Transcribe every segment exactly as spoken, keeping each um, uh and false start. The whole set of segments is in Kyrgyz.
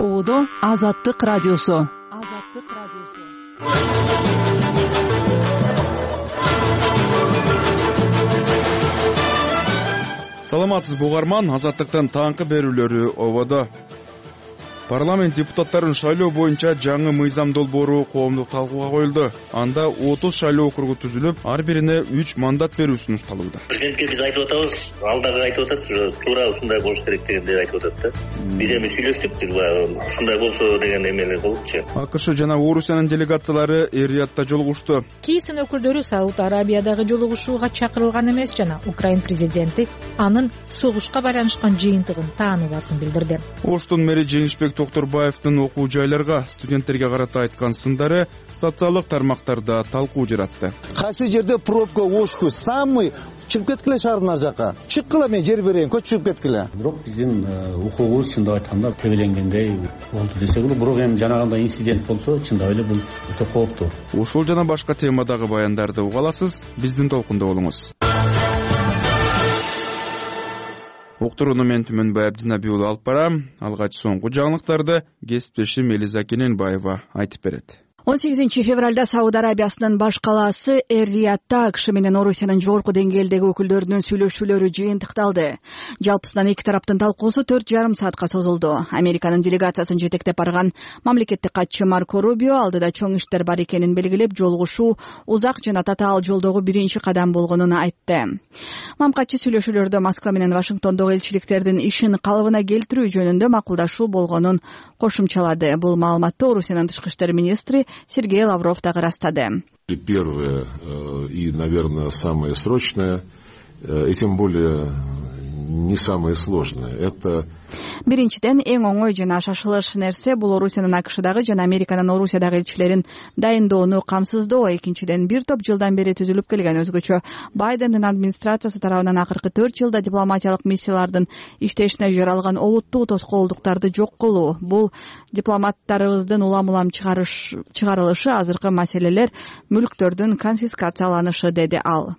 Оодо Азаттык радиосу. Азаттык радиосу. Саламатсызбы угарман, Азаттыктын таңкы берүүлөрү ободо. Парламент депутаттарын шайлоо боюнча жаңы мыйзам долбоору коомдук талкууга коюлду. Анда отуз шайлоо округу түзүлүп, ар бирине үч мандат берүү сунушталууда. Президентке биз айтып атабыз, алдагы айтып атат, туура ушундай болуш керек дегенди айтып атат да. Биз эми сүйлөштүк, ушундай болсо деген эмелер болупчу. АКШ жана Орусиянын делегациялары Эр-Риядда жолугушту. Киевдин өкүлдөрү Сауд Арабиядагы жолугушууга чакырылган эмес жана Украин президенти анын согушка байланышкан жыйынтыгын тааныбасын билдирди. Оштун мэри Жеңишбек Токторбаевдин окуу жайларга, студенттерге карата айткан сындары социалдык тармактарда талкуу жаратты. Кайсы жерде пробка ошку самый чыгып кеткиле шаардын ар жакка. Чыккыла, мен жер берейин, көчүп кеткиле. Бирок биздин укугубуз чындап айтканда тебеленгендей болду десек болот. Бирок эми жанагындай инцидент болсо чындап эле бул өтө кооптуу. Ушул жана башка темадагы баяндарды уга аласыз. Биздин толкунда болуңуз. Уктурууну мен Түмөнбай Абдинабий уулу алып барам. Алгач соңку жаңылыктарды кесиптешим Элиза Кененбаева айтып берет. он сегизинчи февралда Сауд Арабиясынын баш калаасы Эр-Риядда АКШ менен Орусиянын жогорку деңгээлдеги өкүлдөрүнүн сүйлөшүүлөрү жыйынтыкталды. Жалпысынан эки тараптын талкуусу төрт жарым саатка созулду. Американын делегациясын жетектеп барган мамлекеттик катчы Марко Рубио алдыда чоң иштер бар экенин белгилеп, жолугушуу узак жана татаал жолдогу биринчи кадам болгонун айтты. Мамкатчы сүйлөшүүлөрдө Москва менен Вашингтондогу элчиликтердин ишин калыбына келтирүү жөнүндө макулдашуу болгонун кошумчалады. Бул маалыматты Орусиянын тышкы иштер министри Сергей Лавров дагы ырастады. Первое и, наверное, самое срочное, и тем более не самое сложное, это Биринчиден, эң оңой жана шашылыш нерсе бул Орусиянын АКШдагы жана Американын Орусиядагы элчилерин дайындоону камсыздоо. Экинчиден, бир топ жылдан бери түзүлүп келген өзгөчө Байдендин администрациясы тарабынан акыркы төрт жылда дипломатиялык миссиялардын иштешине жаралган олуттуу тоскоолдуктарды жок кылуу. Бул дипломаттарыбыздын улам-улам чыгарылышы, азыркы маселелер мүлктөрдүн конфискацияланышы, деди ал.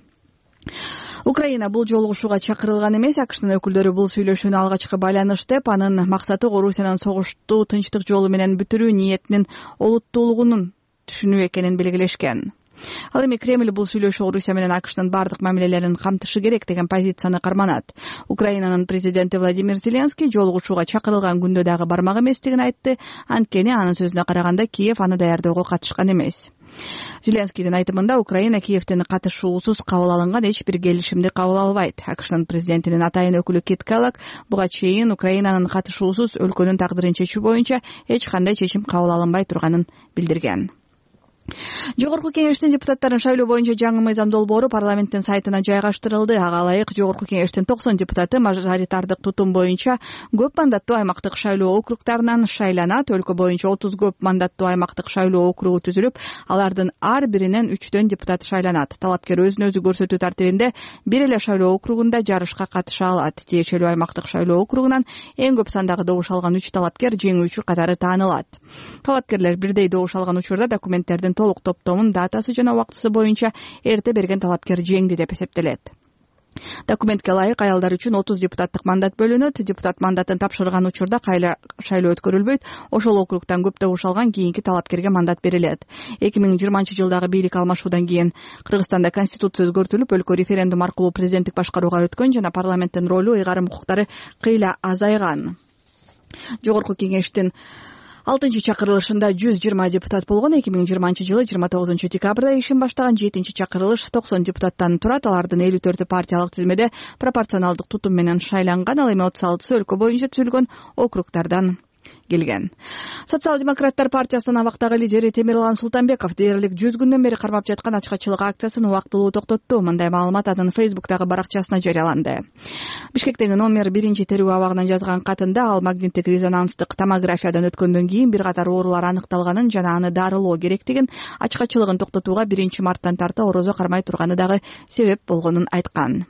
Украина бул жолугушууга чакырылган эмес. АКШнын өкүлдөрү бул сүйлөшүүнү алгачкы байланыш деп, анын максаты Орусиянын согушту тынчтык жолу менен бүтүрүү ниетинин олуттуулугунун түшүнүү экенин белгилешкен. Ал эми Кремль бул сүйлөшүү Орусия менен АКШнын бардык мамилелерин камтышы керек деген позицияны карманат. Украинанын президенти Владимир Зеленский жолугушууга чакырылган күндө дагы бармак эместигин айтты. Анткени анын сөзүнө караганда Киев аны даярдөөгө катышкан эмес. Зеленскийдин айтымында Украина Киевдин катышуусуз кабыл алынган эч бир келишимди кабыл албайт. АКШнын президентинин атайын өкүлү Кит Келлог буга чейин Украинанын катышуусуз өлкөнүн тагдырын чечүү боюнча эч кандай чечим кабыл алынбай турганын билдирген. Жогорку кеңештин депутаттарын шайлоо боюнча жаңы мыйзам долбоору парламенттин сайтына жайгаштырылды. Ага ылайык Жогорку кеңештин токсон депутаты мажоритардык тутум боюнча көп мандаттуу аймактык шайлоо округтарынан шайланат. Өлкө боюнча отуз көп мандаттуу аймактык шайлоо округу түзүлүп, алардын ар биринен үчтөн депутат шайланат. Талапкер өзүн өзү көрсөтүү тартибинде бир эле шайлоо округунда жарышка катыша алат. Тиешелүү аймактык шайлоо округунан эң көп сандагы добуш алган үч талапкер жеңүүчү катары таанылат. Талапкерлер бирдей добуш алган учурда документтердин толук топтомун датасы жана убактысы боюнча эрте берген талапкер жеңди деп эсептелет. Документке ылайык аялдар үчүн отуз депутаттык мандат бөлүнөт. Депутат мандатын тапшырган учурда кайра шайлоо өткөрүлбөйт. Ошол округтан көп добуш алган кийинки талапкерге мандат берилет. эки миң жыйырманчы жылдагы бийлик алмашуудан кийин Кыргызстанда конституция өзгөртүлүп, өлкө референдум аркылуу президенттик башкарууга өткөн жана парламенттин ролу, ыйгарым укуктары кыйла азайган. Жогорку кеңештин алтынчы чакырылышында жүз жыйырма депутат болгон. эки миң жыйырманчы жылы жыйырма тогузунчу декабрда ишин баштаган жетинчи чакырылыш токсон депутаттан турат. Алардын элүү төртү партиялык тизмеде пропорционалдык тутум менен шайланган. Ал эми отуз алтысы өлкө боюнча түзүлгөн округтардан келген. Социал-демократтар партиясынын абактагы лидери Темирлан Султанбеков дээрлик жүз күндөн бери кармап жаткан ачкачылык акциясын убактылуу токтотту. Мындай маалымат анын Фейсбуктагы баракчасына жарыяланды. Бишкектеги номер биринчи терүү абагынан жазган катында ал магниттик резонанстык томографиядан өткөндөн кийин бир катар оорулар аныкталганын жана аны дарылоо керектигин, ачкачылыгын токтотууга биринчи марттан тарта орозо кармай турганы дагы себеп болгонун айткан.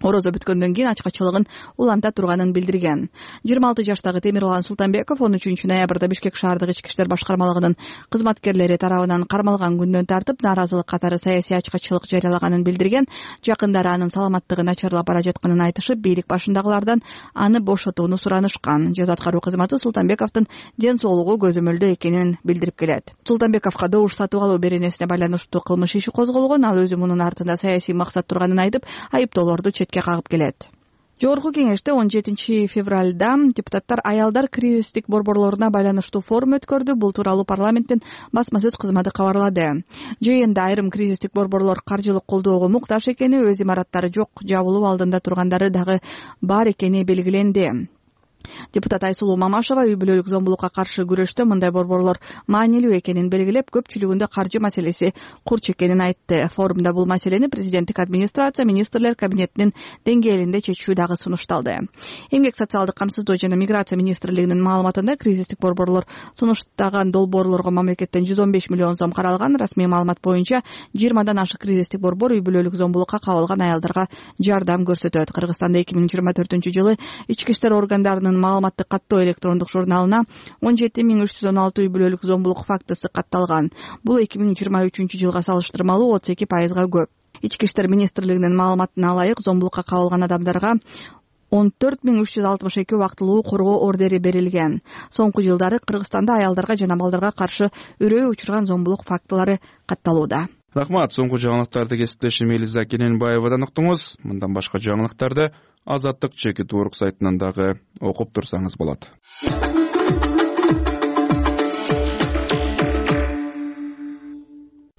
орозо бүткөндөн кийин ачкачылыгын уланта турганын билдирген. жыйырма алты жаштагы Темирлан Султанбеков он үчүнчү ноябрда Бишкек шаардык ички иштер башкармалыгынын кызматкерлери тарабынан кармалган күндөн тартып нааразылык катары саясий ачкачылык жарыялаганын билдирген. Жакындары анын саламаттыгы начарлап бара жатканын айтышып, бийлик башындагылардан аны бошотууну суранышкан. Жаза аткаруу кызматы Султанбековдун ден соолугу көзөмөлдө экенин билдирип келет. Султанбековго добуш сатып алуу беренесине байланыштуу кылмыш иши козголгон. Ал өзү мунун артында саясий максат турганын айтып, айыптоолорду четке кагып келет. Жогорку кеңеште он жетинчи февралда депутаттар аялдар кризистик борборлоруна байланыштуу форум өткөрдү. Бул тууралуу парламенттин басма сөз кызматы кабарлады. Жыйында айрым кризистик борборлор каржылык колдоого муктаж экени, өз имараттары жок, жабылуу алдында тургандары дагы бар экени белгиленди. Депутат Айсулуу Мамашева үй бүлөлүк зомбулукка каршы күрөштө мындай борборлор маанилүү экенин белгилеп, көпчүлүгүндө каржы маселеси курч экенин айтты. Форумда бул маселени президенттик администрация, министрлер кабинетинин деңгээлинде чечүү дагы сунушталды. Эмгек социалдык камсыздоо жана миграция министрлигинин маалыматында кризистик борборлор сунуштаган долбоорлорго мамлекеттен жүз он беш миллион сом каралган. Расмий маалымат боюнча жыйырмадан ашык кризистик борбор үй бүлөлүк зомбулукка кабылган аялдарга жардам көрсөтөт. Кыргызстанда эки миң жыйырма төртүнчү жылы ички иштер органдарынын маалыматтык каттоо электрондук журналына он жети миң үч жүз он алты үй бүлөлүк зомбулук фактысы катталган. Бул эки миң жыйырма үчүнчү жылга салыштырмалуу отуз эки пайызга көп. Ички иштер министрлигинин маалыматына ылайык, зомбулукка кабылган адамдарга он төрт миң үч жүз алтымыш эки убактылуу коргоо ордери берилген. Соңку жылдары Кыргызстанда аялдарга жана балдарга каршы үрөө учурган зомбулук фактылары катталууда. Рахмат. Соңку жаңылыктарды кесиптешим Элиза Кененбаевадан уктуңуз. Мындан башка жаңылыктарды Азаттык чекит урок сайтынан дагы окуп турсаңыз болот.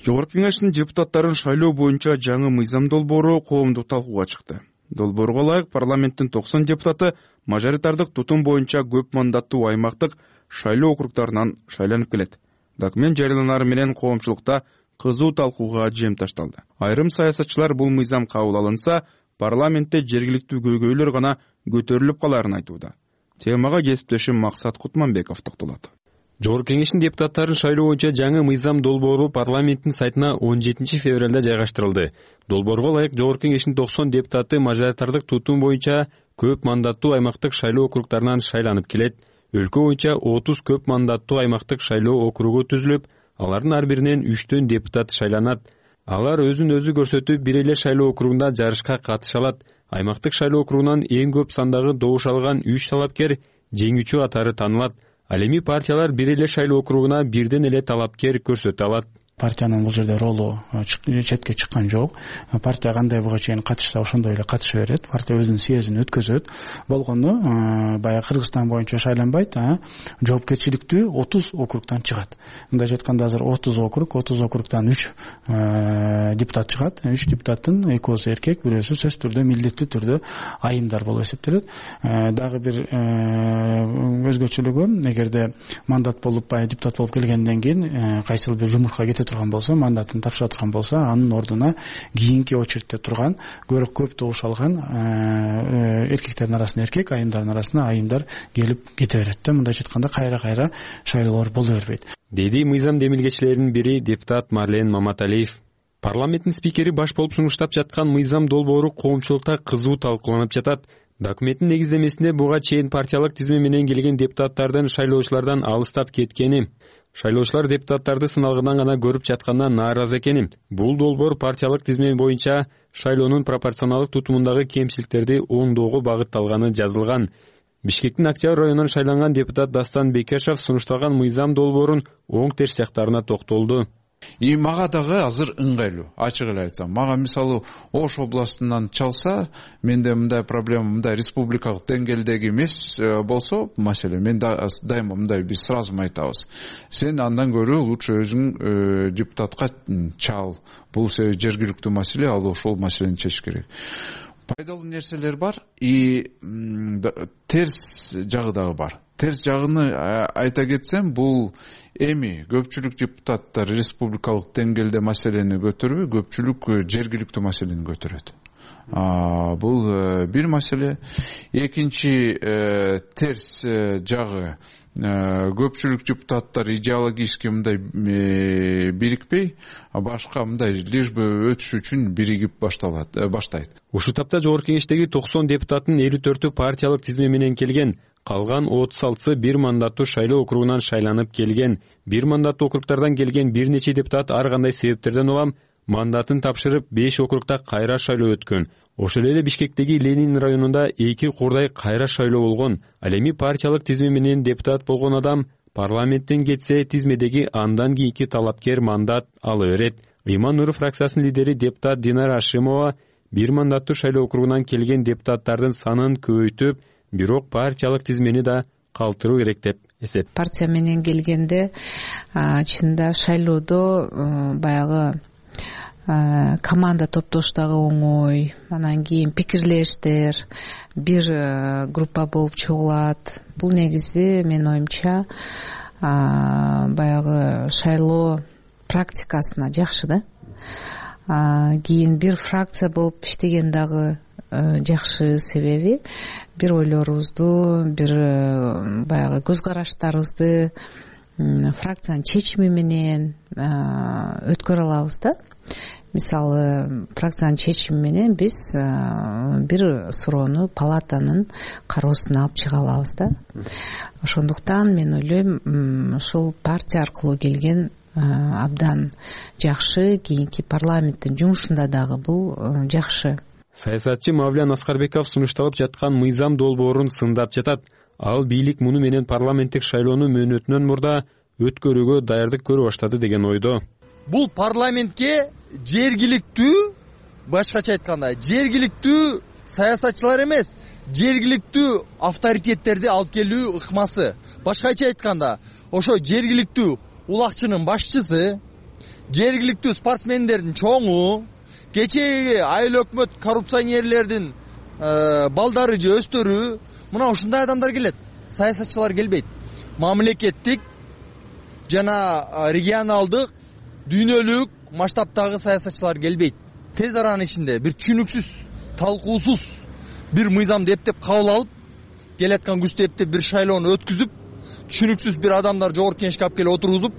Жогорку кеңештин депутаттарын шайлоо боюнча жаңы мыйзам долбоору коомдук талкууга чыкты. Долбоорго ылайык парламенттин токсон депутаты мажоритардык тутум боюнча көп мандаттуу аймактык шайлоо округдарынан шайланып келет. Документ жарыяланары менен коомчулукта кызуу талкууга жем ташталды. Айрым саясатчылар бул мыйзам кабыл алынса, парламентте жергиликтүү көйгөйлөр гана көтөрүлүп каларын айтууда. Темага кесиптешим Максат Кутманбеков токтолот. Жогорку кеңештин депутаттарын шайлоо боюнча жаңы мыйзам долбоору парламенттин сайтына он жетинчи февралда жайгаштырылды. Долбоорго ылайык Жогорку кеңештин токсон депутаты мажоритардык тутум боюнча көп мандаттуу аймактык шайлоо округдарынан шайланып келет. Өлкө боюнча отуз көп мандаттуу аймактык шайлоо округу түзүлүп, алардын ар биринен үчтөн депутат шайланат. Алар өзүн өзү көрсөтүп, бир эле шайлоо округунда жарышка катыша алат. Аймактык шайлоо округунан эң көп сандагы добуш алган үч талапкер жеңүүчү катары танылат. Ал эми партиялар бир эле шайлоо округуна бирден эле талапкер көрсөтө алат. Партиянын бул жерде ролу четке чыккан жок. Партия кандай буга чейин катышса ошондой эле катыша берет. Партия өзүнүн съездин өткөзөт. Болгону баягы Кыргызстан боюнча шайланбайт, жоопкерчиликтүү отуз округдан чыгат. Мындайча айтканда азыр отуз округ, отуз округдан үч депутат чыгат. үч депутаттын экөөсү эркек, бирөөсү сөзсүз түрдө милдеттүү түрдө айымдар болуп эсептелет. Дагы бир өзгөчөлүгү, эгерде мандат болуп, баягы депутат болуп келгенден кийин кайсыл бир жумушка кете турган болсо, мандатын тапшыра турган болсо, анын ордуна кийинки очередте турган, көрөк көп добуш алган эркектердин арасына эркек, айымдардын арасына айымдар келип кете берет да. Мындайча айтканда кайра-кайра шайлоолор боло бербейт. Деди мыйзам демилгечилеринин бири депутат Марлен Маматалиев. Парламенттин спикери баш болуп сунуштап жаткан мыйзам долбоору коомчулукта кызуу талкууланып жатат. Документтин негиздемесинде буга чейин партиялык тизме менен келген депутаттардын шайлоочулардан алыстап кеткени, шайлоочулар депутаттарды сыналгынан гана көрүп жаткандан нааразы экеним. Бул долбоор партиялык тизме боюнча шайлоонун пропорционалдык тутумундагы кемчиликтерди оңдоого багытталганы жазылган. Бишкектин Октябрь районунан шайланган депутат Дастан Бекешев сунушталган мыйзам долбоорун оң терс жактарына токтолду. И мага дагы азыр ыңгайлуу, ачык эле айтсам. Мага мисалы Ош областынан чалса, менде мындай проблема, мындай республикалык деңгээлдеги эмес болсо, маселе, мен дайыма мындай биз сразу айтабыз. Сен андан көрө лучше өзүң депутатка чал. Бул жергиликтүү маселе, ал ошол маселени чечиш керек. Пайдалуу нерселер бар, и терс жагы дагы бар. Терс жагыны айта кетсем, бул эми көпчүлүк депутаттар республикалык деңгээлде маселени көтөрбөй, көпчүлүк жергиликтүү маселени көтөрөт. бул бир маселе. Экинчи терс жагы, көпчүлүк депутаттар идеологически мындай бирикпей, башка мындай лишь бы өтүш үчүн биригип башталат баштайт. Ушул тапта жогорку кеңештеги токсон депутаттын элүү төртү партиялык тизме менен келген, калган отуз алтысы бир мандаттуу шайлоо округунан шайланып келген. Бир мандаттуу округдардан келген бир нече депутат ар кандай себептерден улам мандатын тапшырып беш округда кайра шайлоо өткөн. Ошол эле Бишкектеги Ленин районунда эки курдай кайра шайлоо болгон. Ал эми партиялык тизме менен депутат болгон адам парламенттен кетсе, тизмедеги андан кийинки талапкер мандат ала берет. Ыйман Нуров фракциясынын лидери депутат Динара Ашимова бир мандаттуу шайлоо округунан келген депутаттардын санын көбөйтүп, бирок партиялык тизмени да калтыруу керек деп эсеп. Партия менен келгенде чында шайлоодо баягы команда топтоштогу оңой, анан кийин пикирлештер, бир группа болуп чогулат. Бул негизи менин оюмча баягы шайлоо практикасына жакшы да. Кийин бир фракция болуп иштеген дагы жакшы, себеби бир ойлорубузду, бир баягы көз караштарыбызды фракциянын чечими менен өткөрө алабыз да. Мисалы, фракциянын чечими менен биз бир суроону палатанын кароосуна алып чыга алабыз да. Ошондуктан мен ойлойм, ушул партия аркылуу келген абдан жакшы, кийинки парламенттин жумушунда дагы бул жакшы. Саясатчы Мавлян Аскарбеков сунушталып жаткан мыйзам долбоорун сындап жатат. Ал бийлик муну менен парламенттик шайлоону мөөнөтүнөн мурда өткөрүүгө даярдык көрө баштады деген ойдо. Бул парламентке жергиликтүү, башкача айтканда, жергиликтүү саясатчылар эмес, жергиликтүү авторитеттерди алып келүү ыкмасы. Башкача айтканда, ошо жергиликтүү улакчынын башчысы, жергиликтүү спортсмендердин чоңу, кечеги айыл өкмөт коррупционерлердин балдары же өстөрү, мына ушундай адамдар келет. Саясатчылар келбейт. Мамлекеттик жана регионалдык, дүйнөлүк масштабтагы саясатчылар келбейт. Тез аранын ичинде бир түшүнүксүз, талкуусуз бир мыйзамды эптеп кабыл алып, келаткан күздө эптеп бир шайлоону өткүзүп, түшүнүксүз бир адамдар жогорку кеңешке алып келип отургузуп,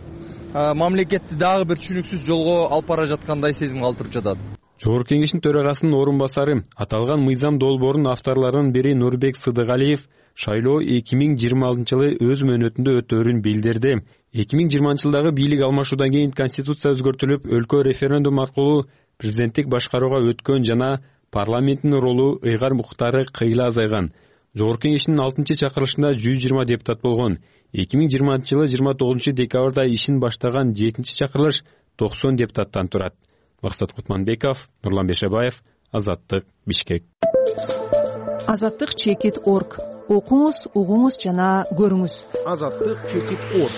мамлекетти дагы бир түшүнүксүз жолго алып бара жаткандай сезим калтырып жатат. Жогорку кеңештин төрагасынын орун басары, аталган мыйзам долбоорунун авторлорунун бири Нурбек Сыдыгалиев шайлоо эки миң жыйырма алтынчы жылы өз мөөнөтүндө өтөөрүн билдирди. эки миң жыйырманчы жылдагы бийлик алмашуудан кийин конституция өзгөртүлүп, өлкө референдум аркылуу президенттик башкарууга өткөн жана парламенттин ролу, ыйгар укуктары кыйла азайган. Жогорку кеңештин алтынчы чакырылышында жүз жыйырма депутат болгон. эки миң жыйырманчы жылы жыйырма тогузунчу декабрда ишин баштаган жетинчи чакырылыш токсон депутаттан турат. Максат Кутманбеков, Нурлан Бешебаев, Азаттык, Бишкек. Азаттык чекит точка орг. Окуңуз, угуңуз жана көрүңүз. Азаттык чекит точка орг.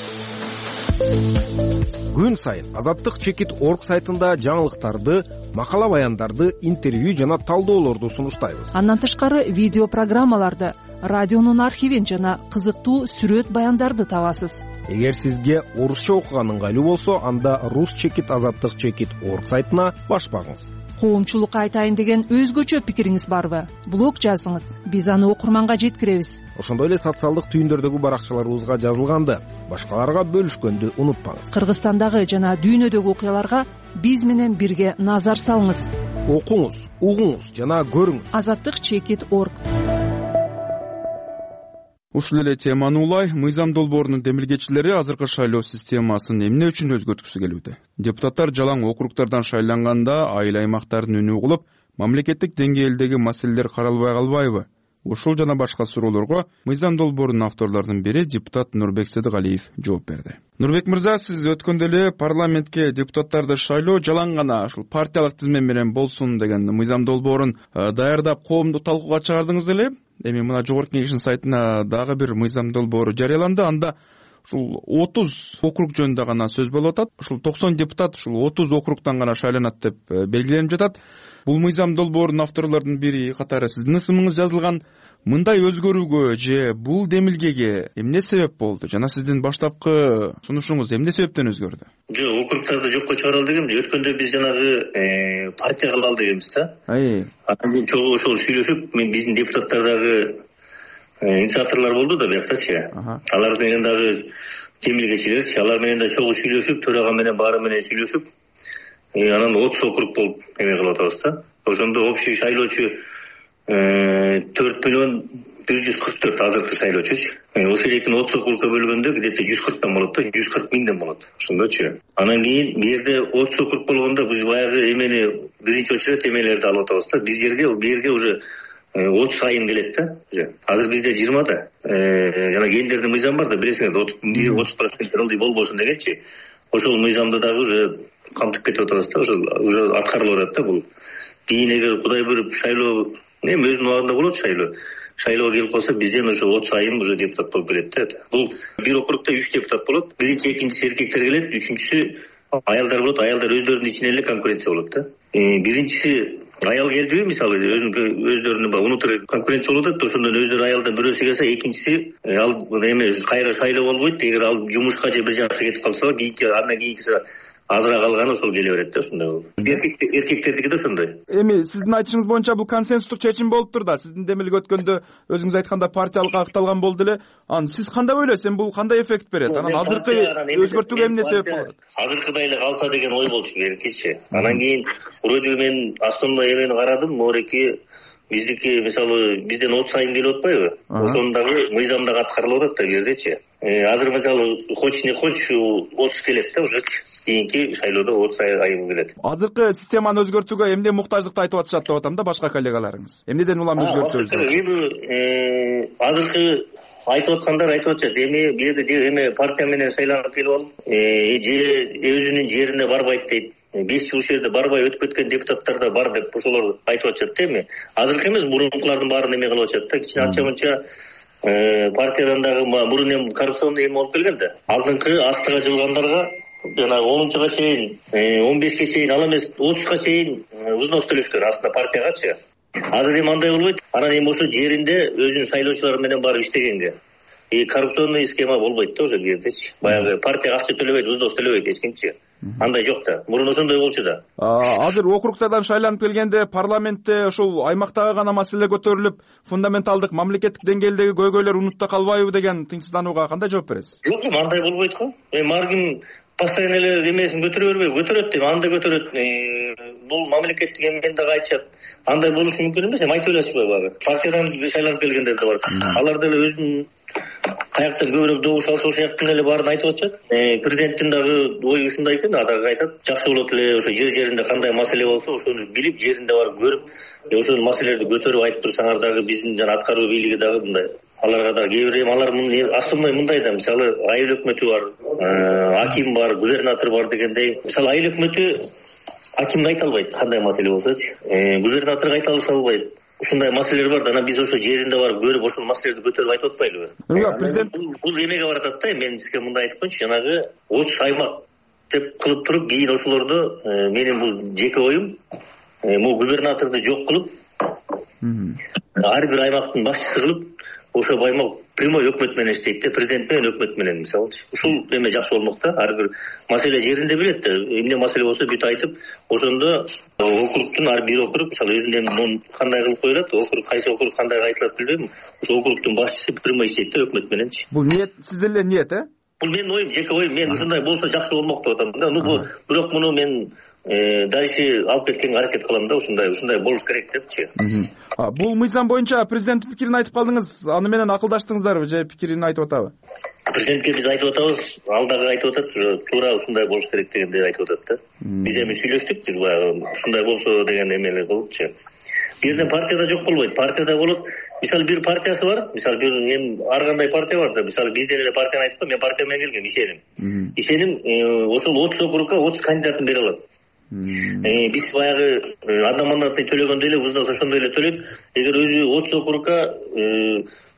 Күн сайын Азаттык чекит точка орг сайтында жаңылыктарды, макала баяндарды, интервью жана талдоолорду сунуштайбыз. Андан тышкары видео программаларды, радионун архивин жана кызыктуу сүрөт баяндарды табасыз. Эгер сизге орусча окуган ыңгайлуу болсо, анда рус чекит азаттык чекит точка орг сайтына баш багыңыз. Коомчулукка айтайын деген өзгөчө пикириңиз барбы? Блог жазыңыз, биз аны окурманга жеткиребиз. Ошондой эле социалдык түйүндөрдөгү баракчаларыбызга жазылганды башкаларга бөлүшкөндү унутпаңыз. Кыргызстандагы жана дүйнөдөгү окуяларга биз менен бирге назар салыңыз. Окуңуз, угуңуз жана көрүңүз. Азаттык чекит точка орг. Ушул эле теманы улай, мыйзам долбоорунун демилгечилери азыркы шайлоо системасын эмне үчүн өзгөрткүсү келүүдө? Депутаттар жалаң округдардан шайланганда айыл аймактардын үнү угулуп, мамлекеттик деңгээлдеги маселелер каралбай калбайбы? Ушул жана башка суроолорго мыйзам долбоорунун авторлорунун бири депутат Нурбек Сыдыгалиев жооп берди. Нурбек мырза, сиз өткөндө эле парламентке депутаттарды шайлоо жалаң гана ушул партиялык тизме менен болсун деген мыйзам долбоорун даярдап коомду талкууга чыгардыңыз эле. Эми мына жогорку кеңештин сайтына дагы бир мыйзам долбоору жарыяланды. Анда ушул отуз округ жөнүндө гана сөз болуп атат. Ушул токсон депутат ушул отуз округтан гана шайланат деп белгиленип жатат. Бул мыйзам долбоорунун авторлорунун бири катары сиздин ысымыңыз жазылган. мындай өзгөрүүгө же бул демилгеге эмне себеп болду жана сиздин баштапкы сунушуңуз эмне себептен өзгөрдү? Жок, округтарды жокко чыгаралы дегем. Өткөндө биз жанагы партия кылалы дегенбиз да. Анан чогуу ошол сүйлөшүп, мен биздин депутаттар дагы инициаторлор болду да бияктачы. Алар менен дагы демилгечилерчи, алар менен да чогуу сүйлөшүп, төрага менен баары менен сүйлөшүп, анан отуз округ болуп эме кылып атабыз да. Ошондо общий шайлоочу төрт миллион бир жүз кырк төрт азыркы шайлоочучу. Ошол экини отуз округка бөлгөндө где-то жүз кырктан болот да, жүз кырк миңден болот. Ошондочу. Анан кийин бу жерде отуз округ болгондо биз баягы эмени биринчи очередь эмелерди алып атабыз да. Биз жерге бу жерге уже отуз айын келет да. Азыр бизде жыйырма да. Жана кендердин мыйзамы бар да, билесиңер, отуз процент ылдый болбосун дегенчи. Ошол мыйзамды дагы уже камтып кетип атабыз да. Ошол уже аткарылып атат да бул. Кийин эгер Кудай буйруп шайлоо эми өзүнүн убагында болот шайлоо. Шайлоо келип калса бизден ошо отуз айым уже депутат болуп келет да. Бул бир округда үч депутат болот. Биринчи, экинчиси эркектер келет, үчүнчүсү аялдар болот. Аялдар өздөрүнүн ичинен эле конкуренция болот да. Биринчиси аял келдиби, мисалы өздөрүнүн внутрь конкуренция болуп атат, ошондон өздөрү аялдан бирөөсү келсе, экинчиси ал эме кайра шайлоо болбойт. Эгер ал жумушка же бир жакка кетип калса, кийинки андан кийинкиси азыраак алганы ошол келе берет да. Ошондой болуп. Эркектердики да ошондой. Эми сиздин айтышыңыз боюнча бул консенсустук чечим болуптур да. Сиздин демилге өткөндө өзүңүз айтканда партиялык агыкталган болду эле. Анан сиз кандай ойлойсуз? Эми бул кандай эффект берет? Анан азыркы өзгөртүүгө эмне себеп болот? Азыркыдай эле калса деген ой болчу беркичи. Анан кийин вроде мен основной эмени карадым, мореки биздики мисалы бизден отуз айым келип атпайбы? Ошону дагы мыйзам дагы аткарылып атат да бу жердечи. Азыр мисалы хоч не хоч отуз келет да уже. Кийинки шайлоодо отуз айым келет. Азыркы системаны өзгөртүүгө эмне муктаждыкты айтып атышат деп атам да башка коллегаларыңыз. Эмнеден улам өзгөртсөбүз? Эми азыркы айтып аткандар айтып атышат. Эми бу жерде эме партия менен шайланып келип алып, же өзүнүн жерине барбайт дейт. беш жыл ушул жерде барбай өтүп кеткен депутаттар да бар деп ошолор айтып атышат да. Эми азыркы эмес, мурункулардын баарын эме кылып атышат да. Кичине анча мынча партиядан дагы мурун эми коррупционный эме болуп келген да. Алдыңкы астыга жылгандарга жанагы онунчуга чейин, он бешке чейин, ал эмес отузга чейин взнос төлөшкөн астында партиягачы. Азыр эми андай болбойт. Анан эми ошо жеринде өзүнүн шайлоочулары менен барып иштегенге. И коррупционный схема болбойт да уже бу жердечи. Баягы партияга акча төлөбөйт, взнос төлөбөйт эч кимчи. Андай жок да. Мурун ошондой болчу да. Азыр округтардан шайланып келгенде парламентте ошол аймактагы гана маселе көтөрүлүп, фундаменталдык мамлекеттик деңгээлдеги көйгөйлөр унутта калбайбы деген тынчсызданууга кандай жооп бересиз? Жок, андай болбойт го. Эми ар ким постоянно эле эмесин көтөрө бербейби? Көтөрөт дейм, анда көтөрөт. Бул мамлекеттик эмени дагы айтышат. Андай болушу мүмкүн эмес. Эми айтып эле багы. Партиядан шайланып келгендер да бар. Алар деле өзүнүн каяктан көбүрөөк добуш алса ошол жактан эле баарын айтып атышат. Президенттин дагы ою ушундай экен, дагы айтат. Жакшы болот эле ошо жер жеринде кандай маселе болсо, ошону билип, жеринде барып көрүп, ошол маселелерди көтөрүп айтып турсаңар дагы биздин жана аткаруу бийлиги дагы мындай. Аларга да кээ бир эми алар основной мындай да, мисалы айыл өкмөтү бар, аким бар, губернатор бар дегендей. Мисалы айыл өкмөтү акимге айта албайт кандай маселе болсочу. Губернаторго айта албайт. Ушундай маселелер бар да, анан биз ошо жеринде барып көрүп, ошол маселелерди көтөрүп айтып атпайлыбы? Президент бул эмеге баратат да. Мен сизге мындай айтып коеюнчу, жанагы отуз аймак деп кылып туруп, кийин ошолорду менин бул жеке оюм, могу губернаторду жок кылып, ар бир аймактын башчысы кылып, ошол аймак прямой өкмөт менен иштейт да, президент менен өкмөт менен мисалычы. Ушул эме жакшы болмок да. Ар бир маселе жеринде билет да. Эмне маселе болсо бүт айтып, ошондо округтун ар бир округ мисалы өзүнүн кандай кылып коюлат, округ кайсы округ кандай айтылат билбейм. Ошол округтун башчысы прямой иштейт да өкмөт мененчи. Бул ниет, сиздин эле ниет, э? Бул менин оюм, жеке оюм. Мен ушундай болсо жакшы болмок деп атам да. Ну бирок муну мен дальше алып кеткенге аракет кылам да. Ушундай ушундай болуш керек депчи. Бул мыйзам боюнча президенттин пикирин айтып калдыңыз. Аны менен акылдаштыңыздарбы же пикирин айтып атабы? Президентке биз айтып атабыз, ал дагы айтып атат, туура ушундай болуш керек дегенди айтып атат да. Биз эми сүйлөштүк, ушундай болсо деген эмелер кылыпчы. Бир жерден партияда жок болбойт, партияда болот. Мисалы бир партиясы бар, мисалы бир эми ар кандай партия бар да. Мисалы бизден эле партияны айтып кой, мен партия менен келгем, ишеним. Ишеним, ошол отуз округга отуз кандидатын бере алат. Биз баягы анда-мандатный төлөгөндөй эле взнос ошондой эле төлөйт. Эгер өзү отуз округга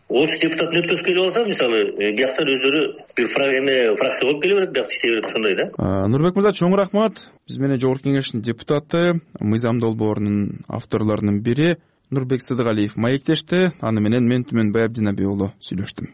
отуз депутатын өткөзүп келип алса, мисалы бияктан өздөрү бир фракция болуп келе берет, биякта иштей берет, ошондой да. Нурбек мырза, чоң рахмат. Биз менен Жогорку Кеңештин депутаты, мыйзам долбоорунун авторлорунун бири Нурбек Сыдыгалиев маектешти. Аны менен мен Түмөнбай Абдинаби уулу сүйлөштүм.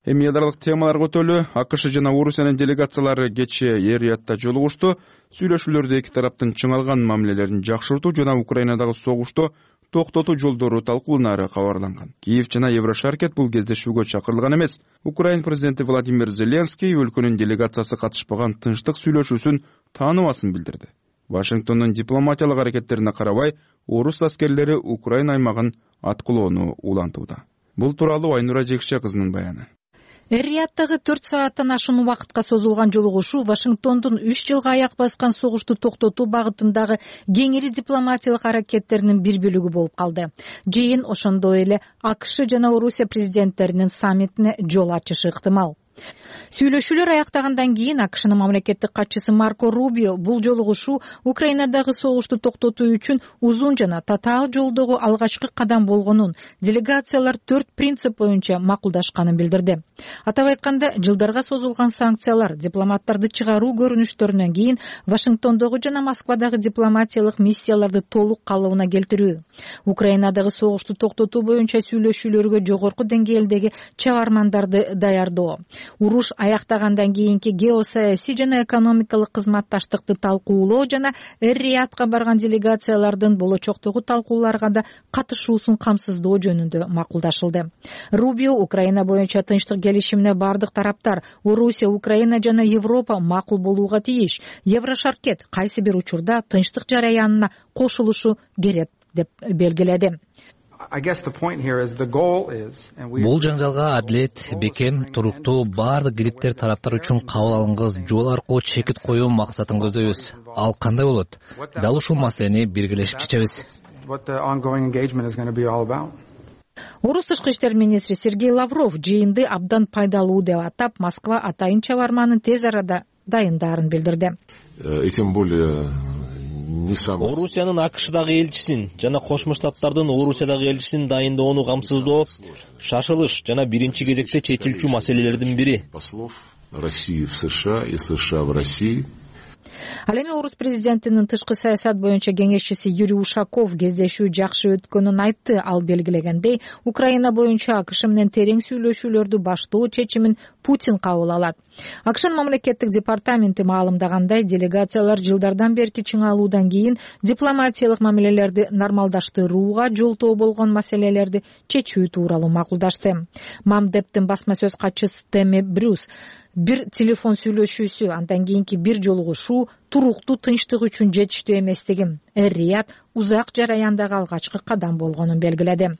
Эми ядралык темаларга өтөлү. АКШ жана Орусиянын делегациялары кечээ Эр-Риядда жолугушту. Сүйлөшүүлөрдө эки тараптын чыңалган мамилелерин жакшыртуу жана Украинадагы согушту токтотуу жолдору талкууланары кабарланган. Киев жана Еврошаркет бул кездешүүгө чакырылган эмес. Украин президенти Владимир Зеленский өлкөнүн делегациясы катышпаган тынчтык сүйлөшүүсүн тааныбасын билдирди. Вашингтондун дипломатиялык аракеттерине карабай, орус аскерлери Украина аймагын аткылоону улантууда. Бул тууралуу Айнура Жекше кызынын баяны. Эр-Рияддагы төрт сааттан ашуун убакытка созулган жолугушуу Вашингтондун үч жылга аяк баскан согушту токтотуу багытындагы кеңири дипломатиялык аракеттеринин бир бөлүгү болуп калды. Жыйын ошондой эле АКШ жана Орусия президенттеринин саммитине жол ачышы ыктымал. Сүйлөшүүлөр аяктагандан кийин АКШнын мамлекеттик катчысы Марко Рубио бул жолугушуу Украинадагы согушту токтотуу үчүн узун жана татаал жолдогу алгачкы кадам болгонун, делегациялар төрт принцип боюнча макулдашканын билдирди. Атап айтканда, жылдарга созулган санкциялар, дипломаттарды чыгаруу көрүнүштөрүнөн кийин Вашингтондогу жана Москвадагы дипломатиялык миссияларды толук калыбына келтирүү, Украинадагы согушту токтотуу боюнча сүйлөшүүлөргө жогорку деңгээлдеги чыгармандарды даярдоо, уруш аяктагандан кийинки геосаясий жана экономикалык кызматташтыкты талкуулоо жана Эр-Риядка барган делегациялардын болочоктогу талкууларга да катышуусун камсыздоо жөнүндө макулдашылды. Рубио Украина боюнча тынчтык келишимине бардык тараптар Орусия, Украина жана Европа макул болууга тийиш. Еврошаркет кайсы бир учурда тынчтык жараянына кошулушу керек деп белгиледи. Бул жаңжалга адилет, бекем, туруктуу, баардык кириптер тараптар үчүн кабыл алынгыс жол аркылуу чекит коюу максатын көздөйбүз. Ал кандай болот? Дал ушул маселени биргелешип чечебиз. Орус тышкы иштер министри Сергей Лавров жыйынды абдан пайдалуу деп атап, Москва атайын чабарманын тез арада дайындарын билдирди. И тем более Орусиянын АКШдагы элчисин жана Кошмо Штаттардын Орусиядагы элчисин дайындоону камсыздоо шашылыш жана биринчи кезекте чечилчү маселелердин бири. Послов России в США и США в России. Ал эми орус президентинин тышкы саясат боюнча кеңешчиси Юрий Ушаков кездешүү жакшы өткөнүн айтты. Ал белгилегендей, Украина боюнча АКШ менен терең сүйлөшүүлөрдү баштоо чечимин Путин кабыл алат. АКШнын мамлекеттик департаменти маалымдагандай, делегациялар жылдардан берки чыңалуудан кийин дипломатиялык мамилелерди нормалдаштырууга жолтоо болгон маселелерди чечүү тууралуу макулдашты. Мамдептин басма сөз катчысы Тэмми Брюс бир телефон сүйлөшүүсү, андан кийинки бир жолугушуу туруктуу тынчтык үчүн жетиштүү эместигин, Эр-Рияд узак жараяндагы алгачкы кадам болгонун белгиледи.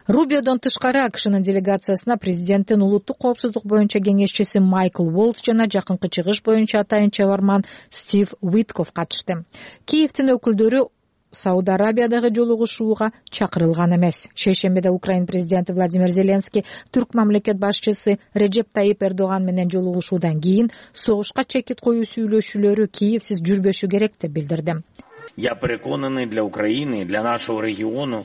Рубиодон тышкары АКШнын делегациясына президенттин улуттук коопсуздук боюнча кеңешчиси Майкл Волц жана жакынкы чыгыш боюнча атайын чабарман Стив Уитков катышты. Киевдин өкүлдөрү Сауд Арабиядагы жолугушууга чакырылган эмес. Шейшембиде Украин президенти Владимир Зеленский түрк мамлекет башчысы Реджеп Тайип Эрдоган менен жолугушуудан кийин согушка чекит коюу сүйлөшүүлөрү Киевсиз жүрбөшү керек деп билдирди. Я переконаный, для Украины, для нашего региона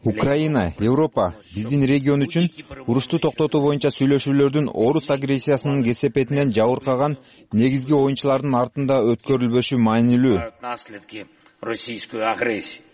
Украина, Европа, биздин регион үчүн урушту токтотуу боюнча сүйлөшүүлөрдүн орус агрессиясынын кесепетинен жабыркаган негизги оюнчулардын артында өткөрүлбөшү маанилүү. Российскую агрессию.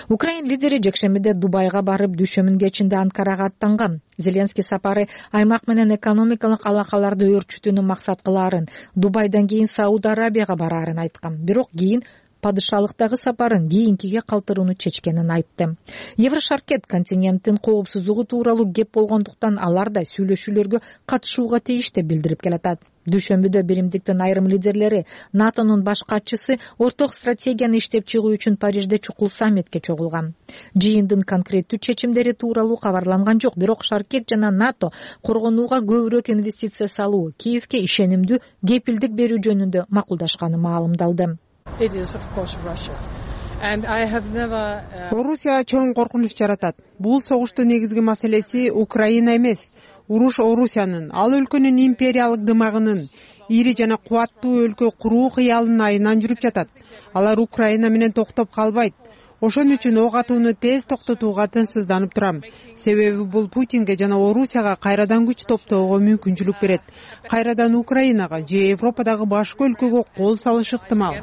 Украин лидери жекшембиде Дубайга барып, дүйшөмүн кечинде Анкарага аттанган. Зеленский сапары аймак менен экономикалык алакаларды өөрчүтүүнү максат кылаарын, Дубайдан кийин Сауд Арабияга бараарын айткан. Бирок кийин падышалыктагы сапарын кийинкиге калтырууну чечкенин айтты. Еврошаркет континенттин коопсуздугу тууралуу кеп болгондуктан алар да сүйлөшүүлөргө катышууга тийиш деп билдирип келатат. Дүйшөмбүдө биримдиктин айрым лидерлери НАТОнун баш катчысы орток стратегияны иштеп чыгуу үчүн Парижде чукул саммитке чогулган. Жыйындын конкреттүү чечимдери тууралуу кабарланган жок, бирок Шаркет жана НАТО коргонууга көбүрөөк инвестиция салуу, Киевке ишенимдүү кепилдик берүү жөнүндө макулдашканы маалымдалды. Орусия чоң коркунуч жаратат. Бул согуштун негизги маселеси Украина эмес, уруш Орусиянын, ал өлкөнүн империялык дымагынын, ири жана кубаттуу өлкө куруу кыялынын айынан жүрүп жатат. Алар Украина менен токтоп калбайт. Ошон үчүн ок атууну тез токтотууга тынчсызданып турам. Себеби бул Путинге жана Орусияга кайрадан күч топтоого мүмкүнчүлүк берет. Кайрадан Украинага же Европадагы башка өлкөгө кол салышы ыктымал,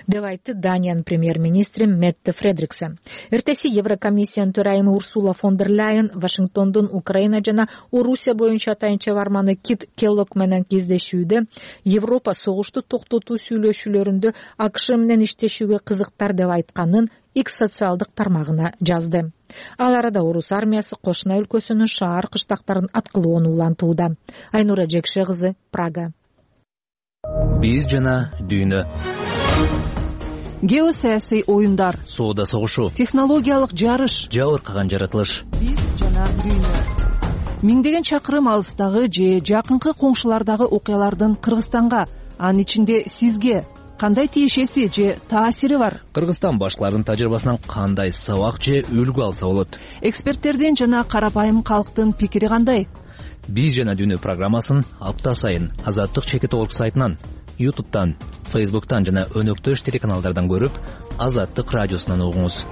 деп айтты Даниянын премьер-министри Метте Фредриксен. Эртеси Еврокомиссиянын төрайымы Урсула фон дер Ляйен Вашингтондун Украина жана Орусия боюнча атайынча барманы Кит Келлог менен кездешүүдө Европа согушту токтотуу сүйлөшүүлөрүндө АКШ менен иштешүүгө кызыктар деп айтканын X социалдык тармагына жазды. Ал арада орус армиясы кошуна өлкөсүнүн шаар кыштактарын аткылоону улантууда. Айнура Жекше кызы, Прага. Биз жана дүйнө. Геосаясий оюндар, соода согушу, технологиялык жарыш, жабыркаган жаратылыш. Биз жана дүйнө. Миңдеген чакырым алыстагы же жакынкы коңшулардагы окуялардын Кыргызстанга, анын ичинде сизге кандай тиешеси же таасири бар? Кыргызстан башкалардын тажрыйбасынан кандай сабак же үлгү алса болот? Эксперттердин жана карапайым калктын пикири кандай? Биз жана дүйнө программасын апта сайын Азаттык чекит орг сайтынан, ютубтан, фейсбуктан жана өнөктөш телеканалдардан көрүп, Азаттык радиосунан угуңуз.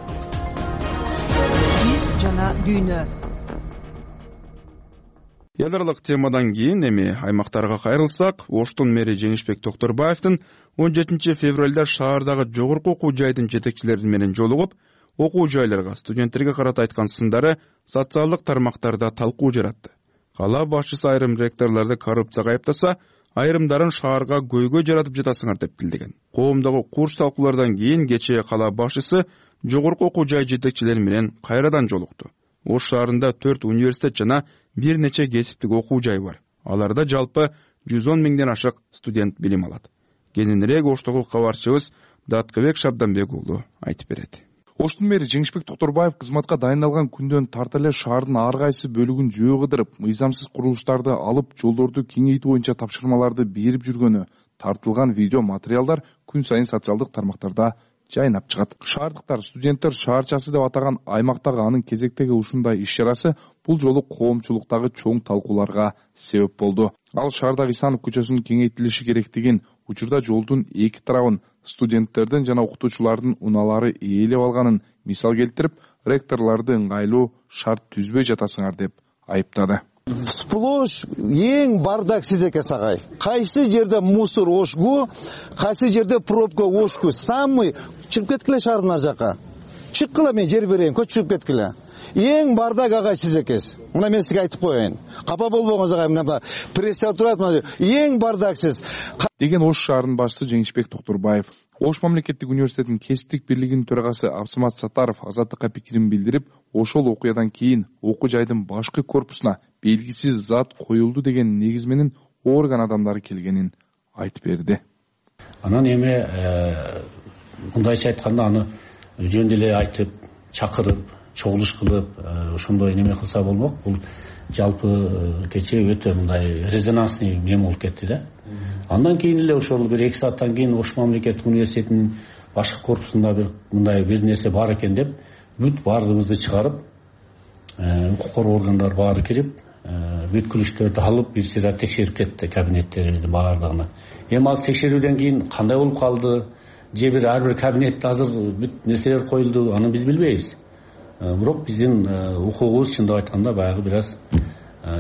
Биз жана дүйнө. Эл аралык темадан кийин эми аймактарга кайрылсак, Оштун мэри Жеңишбек Токторбаевдин он жетинчи февралда шаардагы жогорку окуу жайдын жетекчилери менен жолугуп, окуу жайларга, студенттерге карата айткан сындары социалдык тармактарда талкуу жаратты. Кала башчысы айрым ректорлорду коррупцияга айыптаса, айрымдарын шаарга көйгөй жаратып жатасыңар деп билдирген. Коомдогу курс талкуулардан кийин кечээ кала башчысы жогорку окуу жай жетекчилери менен кайрадан жолукту. Ош шаарында төрт университет жана бир нече кесиптик окуу жай бар. Аларда жалпы жүз он миңден ашык студент билим алат. Кененирээк Оштогу кабарчыбыз Даткыбек Шабданбек уулу айтып берет. Оштун мэри Жеңишбек Токторбаев кызматка дайындалган күндөн тарта эле шаардын ар кайсы бөлүгүн жөө кыдырып, мыйзамсыз курулуштарды алып, жолдорду кеңейтүү боюнча тапшырмаларды берип жүргөнү тартылган видео материалдар күн сайын социалдык тармактарда жайнап чыгат. Шаардыктар, студенттер шаарчасы деп атаган аймактагы анын кезектеги ушундай иш чарасы бул жолу коомчулуктагы чоң талкууларга себеп болду. Ал шаардагы Исанов көчөсүнүн кеңейтилиши керектигин, учурда жолдун эки тарабын студенттердин жана окутуучулардын унаалары ээлеп алганын мисал келтирип, ректорлорду ыңгайлуу шарт түзбөй жатасыңар деп айыптады. Сплош эң бардак сиз экенсиз агай. Кайсы жерде мусор ошку, кайсы жерде пробка ошку. Самый чыгып кеткиле шаардын ар жака. Чыккыла, мен жер берейин, көчүп кеткиле. Эң бардак агай сиз экенсиз. Мына мен сизге айтып коеюн. Капа болбоңуз агай, мына прессе турат, эң бардак сиз. Деген Ош шаарынын башчысы Жеңишбек Токторбаев. Ош мамлекеттик университетинин кесиптик бирлигинин төрагасы Абсамат Сатаров Азаттыкка пикирин билдирип, ошол окуядан кийин окуу жайдын башкы корпусуна белгисиз зат коюлду деген негиз менен орган адамдары келгенин айтып берди. Анан эми мындайча айтканда аны жөн деле айтып, чакырып, чогулуш кылып, ошондой неме кылса болмок. Бул жалпы кечээ өтө мындай резонансный неме болуп кетти да. Андан кийин эле ошол бир эки сааттан кийин Ош мамлекеттик университетинин башкы корпусунда бир мындай бир нерсе бар экен деп, бүт баардыгыбызды чыгарып, укук коргоо органдары баары кирип, бүткүлүштөрдү алып, бир сыйра текшерип кетти кабинеттерибизди баардыгына. Эми ал текшерүүдөн кийин кандай болуп калды, же бир ар бир кабинетте азыр бүт нерселер коюлду, аны биз билбейбиз. Бирок биздин укугубуз чындап айтканда баягы бир аз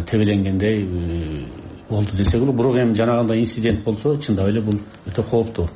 тебеленгендей болду десек болот. Бирок эми жанагындай инцидент болсо, чындап эле бул өтө кооптуу.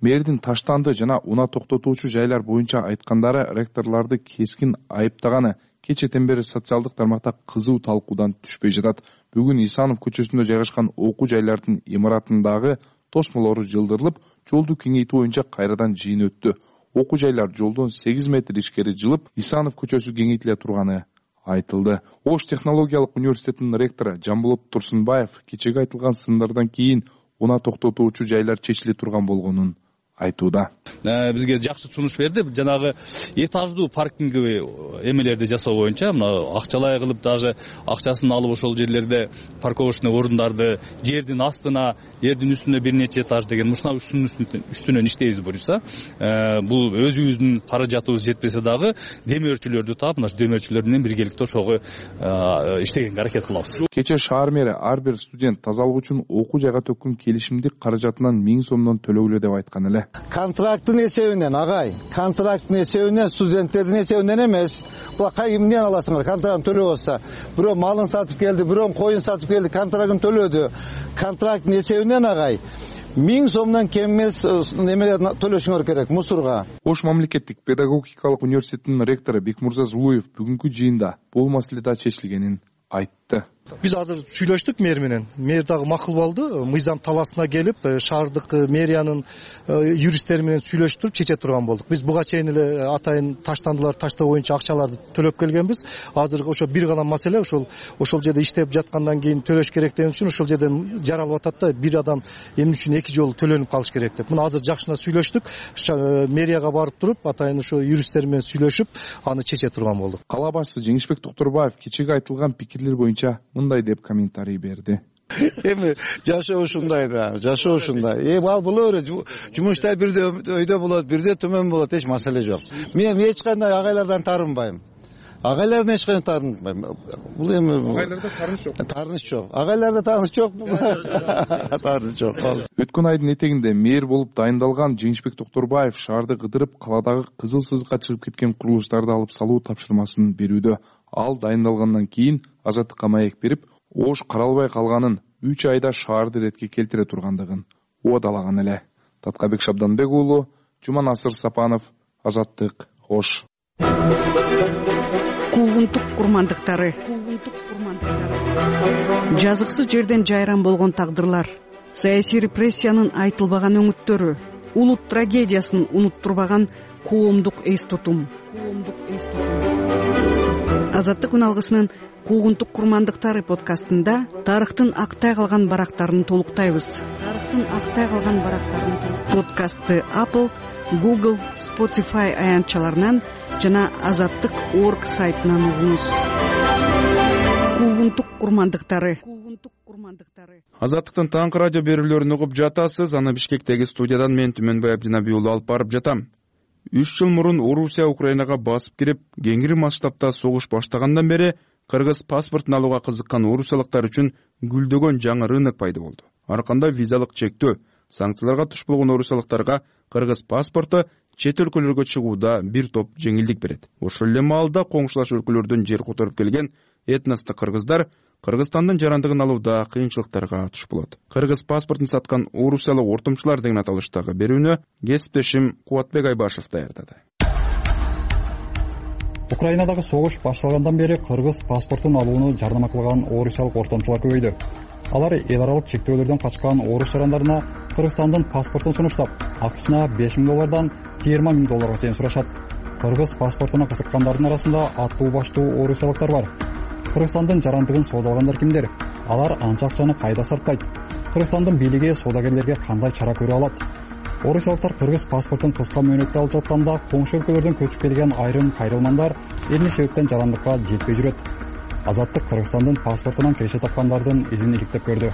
Мэрдин таштанды жана унаа токтотуучу жайлар боюнча айткандары ректорлорду кескин айыптаганы кечэтен бери социалдык тармакта кызуу талкуудан түшпөй жатат. Бүгүн Исанов көчөсүндө жайгашкан окуу жайлардын имаратындагы тосмолору жылдырылып, жолду кеңейтүү боюнча кайрадан жыйын өттү. Окуу жайлар жолдон сегиз метр ишкери жылып, Исанов көчөсү кеңейтиле турганы айтылды. Ош технологиялык университетинин ректору Жамболот Турсунбаев кечеги айтылган сындардан кийин унаа токтотуучу жайлар чечиле турган болгонун айтууда. Бизге жакшы сунуш берди. Жанагы этаждуу паркинговый эмелерди жасоо боюнча, мына акчалай кылып, даже акчасын алып ошол жерлерде парковочный орундарды жердин астына, жердин үстүнө бир нече этаж деген ушуна үстүнөн иштейбиз буюрса, бул өзүбүздүн каражатыбыз жетпесе дагы демөөрчүлөрдү таап, мына демөөрчүлөр менен биргеликте ошого иштегенге аракет кылабыз. Кече шаар мэри ар бир студент тазалык үчүн окуу жайга төккөн келишимдик каражатынан миң сомдон төлөгүлө деп айткан эле. контракттын эсебинен агай, контракттын эсебинен, студенттердин эсебинен эмес. Була кай эмнеден аласыңар? Контрактын төлөп алса, бирөө малын сатып келди, бирөө коюн сатып келди, контрактын төлөдү. Контракттын эсебинен агай миң сомдон кем эмес немеге төлөшүңөр керек, мусорга. Ош мамлекеттик педагогикалык университетинин ректору Бекмурза Зулуев бүгүнкү жыйында бул маселе да чечилгенин айтты. Биз азыр сүйлөштүк мэр менен. Мэр дагы макул болду. Мыйзам талаасына келип, шаардык мэриянын юристтери менен сүйлөшүп туруп чече турган болдук. Биз буга чейин эле атайын таштандылар таштоо боюнча акчаларды төлөп келгенбиз. Азыр ошо бир гана маселе, ошол ошол жерде иштеп жаткандан кийин төлөш керек деген үчүн ошол жерден жаралып атат да, бир адам эмне үчүн эки жолу төлөнүп калыш керек деп. Муну азыр жакшына сүйлөштүк. Мэрияга барып туруп, атайын ошо юристтер менен сүйлөшүп, аны чече турган болдук. Кала башчысы Жеңишбек Токторбаев кечеги айтылган пикирлер боюнча мындай деп комментарий берди. Эми жашоо ушундай да, жашоо ушундай. Эми ал боло берет. Жумушта бирде өйдө болот, бирде төмөн болот, эч маселе жок. Мен эч кандай агайлардан тарынбайм. Агайлардан эч кандай тарынбайм. Бул эми агайларда тарыныш жок. Тарыныш жок. Агайларда тарыныш жок. Тарыныш жок. Өткөн айдын этегинде мэр болуп дайындалган Жеңишбек Токторбаев шаарды кыдырып, каладагы кызыл сызыкка чыгып кеткен курулуштарды алып салуу тапшырмасын берүүдө. Ал дайындалгандан кийин Азаттыкка маек берип, Ош каралбай калганын үч айда шаарды иретке келтире тургандыгын уадалаган эле. Таткабек Шабданбек уулу, Жуманасыр Сапанов, Азаттык, Ош. Куугунтук курмандыктары. Жазыксыз жерден жайран болгон тагдырлар, саясий репрессиянын айтылбаган өңүттөрү, улут трагедиясын унуттурбаган коомдук эс тутум. Азаттык күн алгысынын Куугунтук курмандыктары подкастында тарыхтын актай калган барактарын толуктайбыз. Тарыхтын актай калган барактарын подкастты Apple, Google, Spotify аянтчаларынан жана азаттык точка орг сайтынан угуңуз. Куугунтук курмандыктары. Азаттыктын таңкы радио берүүлөрүн угуп жатасыз. Аны Бишкектеги студиядан мен Түмөнбай Абдинаби уулу алып барып жатам. Үч жыл мурун Орусия Украинага басып кирип, кеңири масштабта согуш баштагандан бери кыргыз паспортун алууга кызыккан орусиялыктар үчүн гүлдөгөн жаңы рынок пайда болду. Арканда визалык чектөө, санкцияларга туш болгон орусиялыктарга кыргыз паспорту чет өлкөлөргө чыгууда бир топ жеңилдик берет. Ошол эле маалда коңшулаш өлкөлөрдөн жер которуп келген этностук кыргыздар Кыргызстандын жарандыгын алууда кыйынчылыктарга туш болот. Кыргыз паспортун саткан орусиялык ортомчулар деген аталыштагы берүүнү кесиптешим Кубатбек Айбашев даярдады. Украинадагы согуш башталгандан бери кыргыз паспортун алууну жардама кылган орусиялык ортомчулар көбөйдү. Алар эл аралык чектөөлөрдөн качкан орус жарандарына Кыргызстандын паспортун сунуштап, акысына беш миң доллардан жыйырма миң долларга чейин сурашат. Кыргыз паспортуна кызыккандардын арасында аттуу баштуу орусиялыктар бар. Кыргызстандын жарандыгын соодалагандар кимдер? Алар анча акчаны кайда сарптайт? Кыргызстандын бийлиги соодагерлерге кандай чара көрө алат? Орусиялыктар кыргыз паспортун кыска мөөнөттө алып жатканда коңшу өлкөлөрдөн көчүп келген айрым кайрылмандар эмне себептен жарандыкка жетпей жүрөт? Азаттык Кыргызстандын паспортунан киреше тапкандардын изин иликтеп көрдү.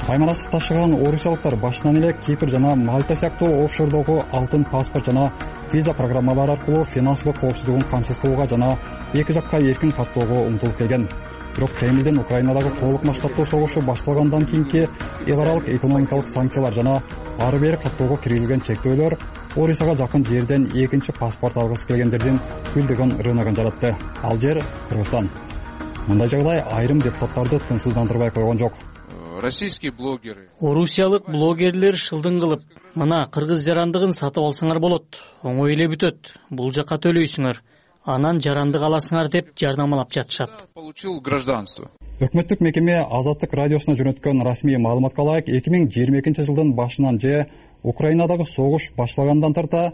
Кайманасты ташыган орусиялыктар башынан эле Кипр жана Мальта сыяктуу офшордогу алтын паспорт жана виза программалары аркылуу финансылык коопсуздугун камсыз кылууга жана эки жакка эркин каттоого умтулуп келген. Бирок Кремлдин Украинадагы толук масштабтуу согушу башталгандан кийинки эл аралык экономикалык санкциялар жана ары бери каттоого киргизилген чектөөлөр Орусияга жакын жерден экинчи паспорт алгысы келгендердин гүлдөгөн рыногун жаратты. Ал жер Кыргызстан. Мындай жагдай айрым депутаттарды тынчсыздандырбай койгон жок. Российские блогеры. Орусиялык блогерлер шылдың кылып, мына кыргыз жарандыгын сатып алсаңар болот, оңой эле бүтөт, бул жакка төлөйсүңөр, анан жарандык аласыңар деп жардамалап жатышат. Получил гражданство. Өкмөттүк мекеме Азаттык радиосуна жөнөткөн расмий маалыматка ылайык эки миң жыйырма экинчи жылдын башынан же Украинадагы согуш башталгандан тарта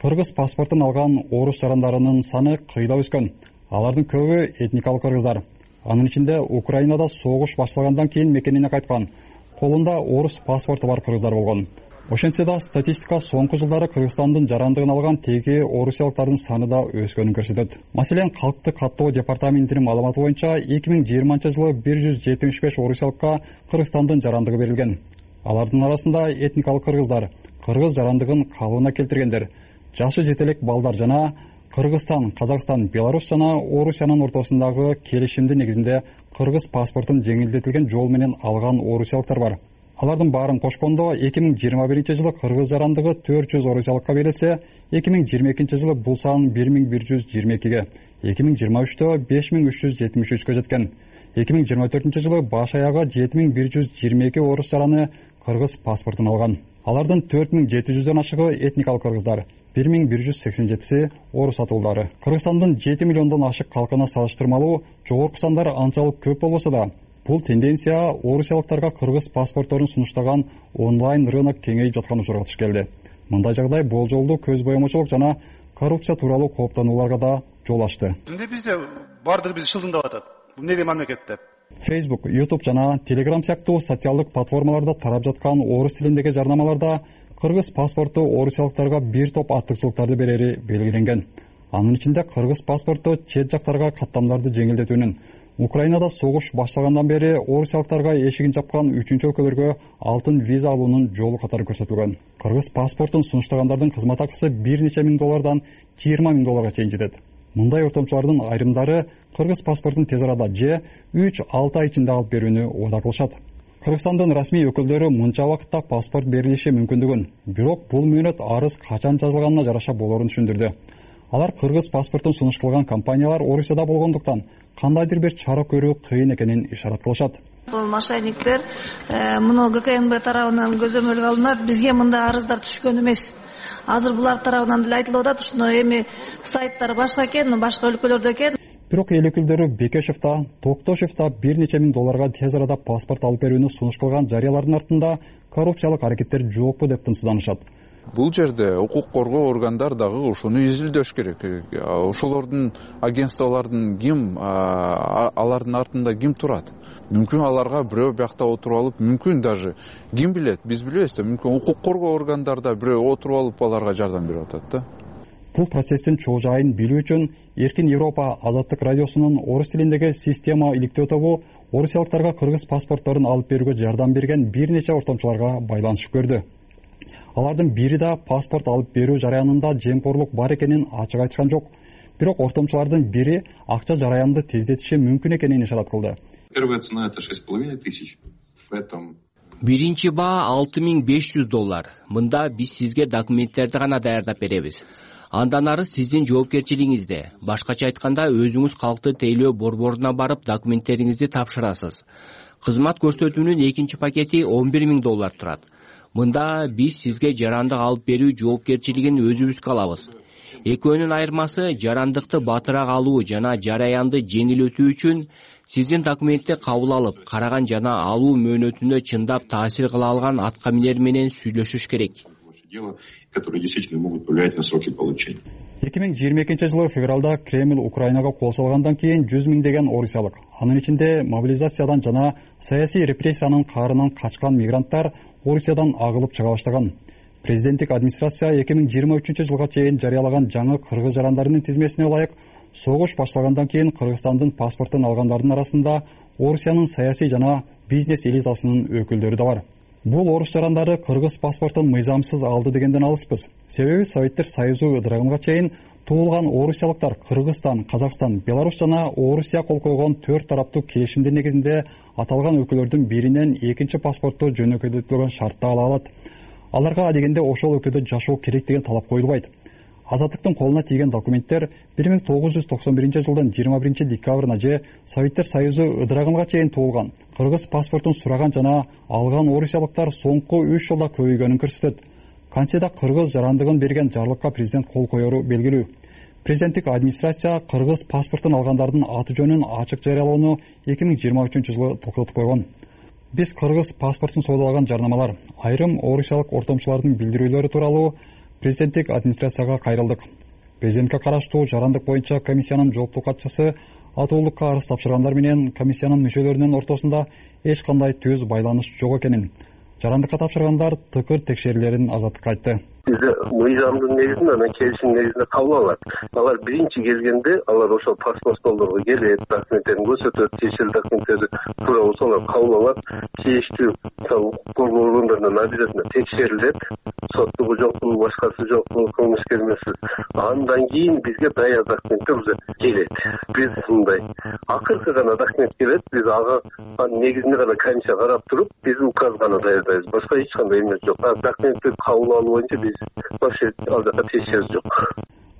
кыргыз паспортун алган орус жарандарынын саны кыйла өскөн. Алардын көбү этникалык кыргыздар. Анын ичинде Украинада согуш башталгандан кийин мекенине кайткан, колунда орус паспорту бар кыргыздар болгон. Ошентсе да статистика соңку жылдары Кыргызстандын жарандыгын алган теги орусиялыктардын саны да өскөнүн көрсөтөт. Маселен, Калкты каттоо департаментинин маалыматы боюнча эки миң жыйырманчы жылы бир жүз жетимиш беш орусиялыкка Кыргызстандын жарандыгы берилген. Алардын арасында этникалык кыргыздар, кыргыз жарандыгын калыбына келтиргендер, жашы жетелек балдар жана Кыргызстан, Казакстан, Беларусь жана Орусиянын ортосундагы келишимдин негизинде кыргыз паспортун жеңилдетилген жол менен алган орусиялыктар бар. Алардын баарын кошкондо эки миң жыйырма биринчи жылы кыргыз жарандыгы төрт жүз орусиялыкка берилсе, эки миң жыйырма экинчи жылы бул сан бир миң бир жүз жыйырма экиге, эки миң жыйырма үчтө беш миң үч жүз жетимиш үчкө жеткен. эки миң жыйырма төртүнчү жылы баш аягы жети миң бир жүз жыйырма эки орус жараны кыргыз паспортун алган. Алардын төрт миң жети жүздөн ашыгы этникалык кыргыздар, бир миң бир жүз сексен жетиси орус атуулдары. Кыргызстандын жети миллиондон ашык калкына салыштырмалуу жогорку сандар анчалык көп болбосо да, бул тенденция орусиялыктарга кыргыз паспортторун сунуштаган онлайн рынок кеңейип жаткан учурга туш келди. Мындай жагдай болжолдуу көз боемочулук жана коррупция тууралуу кооптонууларга да жол ачты. Эмне бизде баардыгы бизди шылдыңдап атат? Бул эмне мамлекет деп? Facebook, YouTube жана Telegram сыяктуу социалдык платформаларда тарап жаткан орус тилиндеги жарнамаларда кыргыз паспорту орусиялыктарга бир топ артыкчылыктарды берери белгиленген. Анын ичинде кыргыз паспорту чет жактарга каттамдарды жеңилдетүүнүн, Украинада согуш башталгандан бери орусиялыктарга эшигин жапкан үчүнчү өлкөлөргө алтын виза алуунун жолу катары көрсөтүлгөн. Кыргыз паспортун сунуштагандардын кызмат акысы бир нече миң доллардан жыйырма миң долларга чейин жетет. Мындай ортомчулардын айрымдары кыргыз паспортун тез арада же үч алты ай ичинде алып берүүнү убада кылышат. Кыргызстандын расмий өкүлдөрү мынча убакытта паспорт берилиши мүмкүндүгүн, бирок бул мөөнөт арыз качан жазылганына жараша болорун түшүндүрдү. Алар кыргыз паспортун сунуш кылган компаниялар Орусияда болгондуктан кандайдыр бир чара көрүү кыйын экенин ишарат кылышат. Бул мошенниктер муну ГКНБ тарабынан көзөмөлгө алынып, бизге мындай арыздар түшкөн эмес. Азыр булар тарабынан деле айтылып атат, ушуну эми сайттар башка экен, башка өлкөлөрдө экен. Бирок эл өкүлдөрү Бекешев да, Токтошев да бир нече миң долларга тез арада паспорт алып берүүнү сунуш кылган жарыялардын артында коррупциялык аракеттер жокпу деп тынчсызданышат. Бул жерде укук коргоо органдар дагы ушуну изилдөш керек. Ошолордун агентстволордун ким, алардын артында ким турат? Мүмкүн аларга бирөө биякта отуруп алып, мүмкүн даже ким билет, биз билбейбиз да, мүмкүн укук коргоо органдарда бирөө отуруп алып аларга жардам берип атат да. Бул процесстин чоо жайын билүү үчүн Эркин Европа Азаттык радиосунун орус тилиндеги система иликтөө тобу орусиялыктарга кыргыз паспортторун алып берүүгө жардам берген бир нече ортомчуларга байланышып көрдү. Алардын бири да паспорт алып берүү жараянында жемкорлук бар экенин ачык айткан жок. Бирок ортомчулардын бири акча жараянды тездетиши мүмкүн экенин ишарат кылды. Первая цена это шесть с половиной тысяч. В этом Биринчи баа алты миң беш жүз доллар. Мында биз сизге документтерди гана даярдап беребиз. Андан ары сиздин жоопкерчилигиңизде. Башкача айтканда, өзүңүз калкты тейлөө борборуна барып документтериңизди тапшырасыз. Кызмат көрсөтүүнүн экинчи пакети он бир миң доллар турат. Мында биз сизге жарандык алып берүү жоопкерчилигин өзүбүзгө алабыз. Экөөнүн айырмасы жарандыкты батыраак алуу жана жараянды жеңил өтүү үчүн сиздин документти кабыл алып, караган жана алуу мөөнөтүнө чындап таасир кыла алган аткаминер менен сүйлөшүш керек. Которые действительно могут повлиять на сроки получения. эки миң жыйырма экинчи жылы февралда Кремль Украинага кол салгандан кийин жүз миңдеген орусиялык, анын ичинде мобилизациядан жана саясий репрессиянын каарынан качкан мигранттар Орусиядан агылып чыга баштаган. Президенттик администрация эки миң жыйырма үчүнчү жылга чейин жарыялаган жаңы кыргыз жарандарынын тизмесине ылайык согуш башталгандан кийин Кыргызстандын паспортун алгандардын арасында Орусиянын саясий жана бизнес элитасынын өкүлдөрү да бар. Бул орус жарандары кыргыз паспортун мыйзамсыз алды дегенден алыспыз. Себеби Советтер Союзу ыдырагынга чейин туулган орусиялыктар Кыргызстан, Казакстан, Беларусь жана Орусия кол койгон төрт тараптуу келишимдин негизинде аталган өлкөлөрдүн биринен экинчи паспортту жөнөкөйтүлгөн шартта ала алат. Аларга адегенде ошол өлкөдө жашоо керек деген талап коюлбайт. Азаттыктын колуна тийген документтер бир миң тогуз жүз токсон биринчи жылдын жыйырма биринчи декабрына же Советтер Союзу ыдырагынга чейин туулган, кыргыз паспортун сураган жана алган орусиялыктар соңку үч жылда көбөйгөнүн көрсөтөт. Конституцияда кыргыз жарандыгын берген жарлыкка президент кол коеру белгилүү. Президенттик администрация кыргыз паспортун алгандардын аты жөнүн ачык жарыялоону эки миң жыйырма үчүнчү жылы токтотуп койгон. Биз кыргыз паспортун соодалаган жарнамалар, айрым орусиялык ортомчулардын билдирүүлөрү тууралуу президенттик администрацияга кайрылдык. Президентке караштуу жарандык боюнча комиссиянын жооптуу катчысы атуулукка арыз тапшыргандар менен комиссиянын мүчөлөрүнүн ортосунда эч кандай түз байланыш жок экенин, жарандыкка тапшыргандар тыкыр текшерүүлөрүн Азаттыкка айтты. бизде мыйзамдын негизинде анан келишим негизинде кабыл алат. Алар биринчи келгенде алар ошол паспорт столдорго келет, документтерин көрсөтөт, тиешелүү документтерди туура болсо алар кабыл алат. Тийиштүү мисалы укук коргоо органдарынан обязательно текшерилет, соттугу жокпу, башкасы жокпу, кылмышкер эмеспи. Андан кийин бизге даяр документтер уже келет. Биз мындай акыркы гана документ келет, биз ага анын негизинде гана комиссия карап туруп, биз указ гана даярдайбыз. Башка эч кандай эмес жок. Документти кабыл алуу боюнча биз вообще ал жака тиешебиз жок.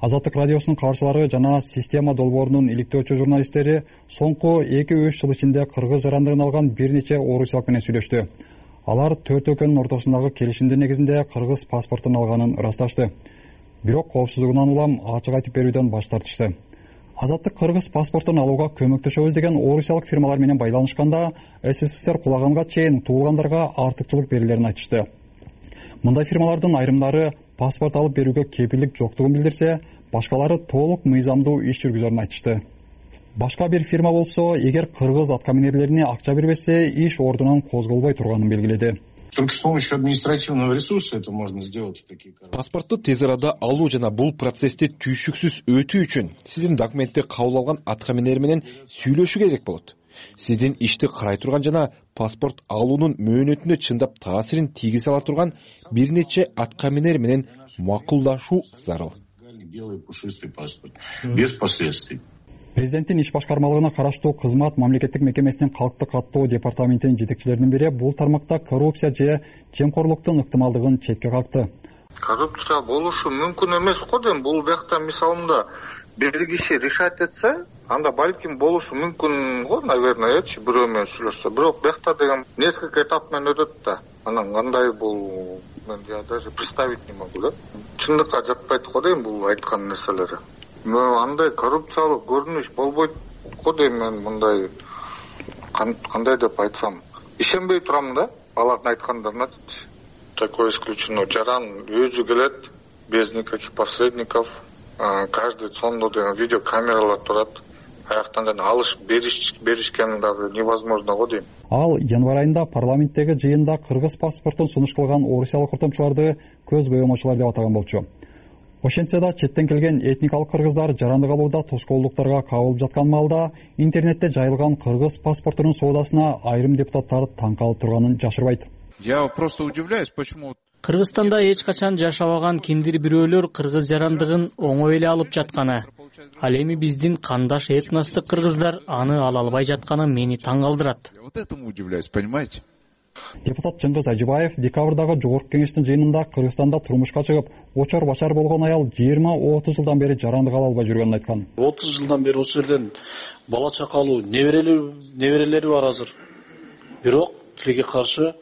Азаттык радиосунун кабарчылары жана система долбоорунун иликтөөчү журналисттери соңку эки үч жыл ичинде кыргыз жарандыгын алган бир нече орусиялык менен сүйлөштү. Алар төрт өлкөнүн ортосундагы келишимдин негизинде кыргыз паспортун алганын ырасташты. Бирок коопсуздугунан улам ачык айтып берүүдөн баш тартышты. Азаттык кыргыз паспортун алууга көмөктөшөбүз деген орусиялык фирмалар менен байланышканда СССР кулаганга чейин туулгандарга артыкчылык берилерин айтышты. Мындай фирмалардын айрымдары паспорт алып берүүгө кепилдик жоктугун билдирсе, башкалары толук мыйзамдуу иш жүргүзөрүн айтышты. Башка бир фирма болсо, эгер кыргыз аткаминерлерине акча бербесе, иш ордунан козголбой турганын белгиледи. Только с помощью административного ресурса это можно сделать в такие карты. Паспортты тез арада алуу жана бул процессти түйшүксүз өтүү үчүн сиздин документти кабыл алган аткаминер менен сүйлөшүү керек болот. Сиздин ишти карай турган жана паспорт алуунун мөөнөтүнө чындап таасирин тийгизе ала турган бир нече аткаминер менен макулдашуу зарыл. Белый пушистый паспорт без последствий. Президенттин иш башкармалыгына караштуу кызмат мамлекеттик мекемесинин калкты каттоо департаментинин жетекчилеринин бири бул тармакта коррупция же жемкорлуктун ыктымалдыгын четке какты. Коррупция болушу мүмкүн эмес го дейм. Бул бакта мисалында бир киши решать этсе, анда балким болушу мүмкүн го, наверное,чи бирөө менен сүйлөшсө. Бирок бакта деген несколько этап менен өтөт да. Анан кандай бул мен даже представить не могу да. Чындыкка жатпайт го дейм бул айткан нерселери. Андай коррупциялык көрүнүш болбойт го дейм мен, мындай кандай деп айтсам, ишенбей турам да алардын айткандарына. Такое исключено. Жаран өзү келет без никаких посредников. Каждый сондо деген видеокамералар турат. Аяктан жана алыш бериш беришкен дагы невозможно го дейм. Ал январь айында парламенттеги жыйында кыргыз паспортун сунуш кылган орусиялык ортомчуларды көз боемочулар деп атаган болчу. Ошентсе да четтен келген этникалык кыргыздар жарандык алууда тоскоолдуктарга кабылып жаткан маалда интернетте жайылган кыргыз паспортунун соодасына айрым депутаттар таң калып турганын жашырбайт. Я просто удивляюсь, почему Кыргызстанда эч качан жашабаган кимдир бирөөлөр кыргыз жарандыгын оңой эле алып жатканы. Ал эми биздин кандаш этностук кыргыздар аны ала албай жатканы мени таң калтырат. Вот этому удивляюсь, понимаете? Депутат Жыңгыз Ажыбаев декабрдагы жогорку кеңештин жыйынында Кыргызстанда турмушка чыгып, очор бачар болгон аял жыйырма отуз жылдан бери жарандык ала албай жүргөнүн айткан. отуз жылдан бери ошол жерден бала чака алуу, неберелери бар азыр. Бирок тилекке каршы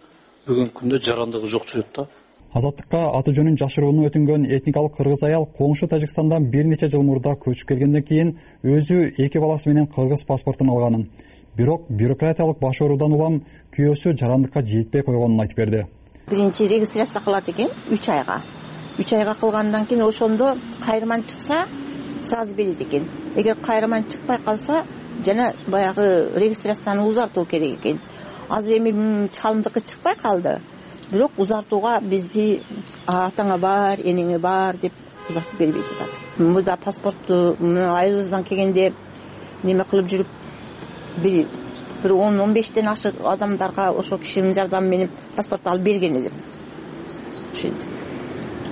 бүгүнкү күндө жарандыгы жок жүрөт да. Азаттыкка аты жөнүн жашырууну өтүнгөн этникалык кыргыз аял коңшу Тажикстандан бир нече жыл мурда көчүп келгенден кийин өзү эки баласы менен кыргыз паспортун алганын. Бирок бюрократиялык баш оорудан улам күйөөсү жарандыкка жетпей койгонун айтып берди. Биринчи регистрация кылат экен үч айга. үч айга кылгандан кийин ошондо кайрыман чыкса, сразу берет экен. Эгер кайрыман чыкпай калса, жана баягы регистрацияны узартуу керек экен. Азыр эми чалымдыкы чыкпай калды. Бирок узартууга бизди атаңа бар, энеңе бар деп узартып бербей жатат. Мында паспортту айыбыздан келгенде неме кылып жүрүп бир бир он он бештен ашык адамдарга ошол кишинин жардамы менен паспорт алып берген элем. Ушинтип.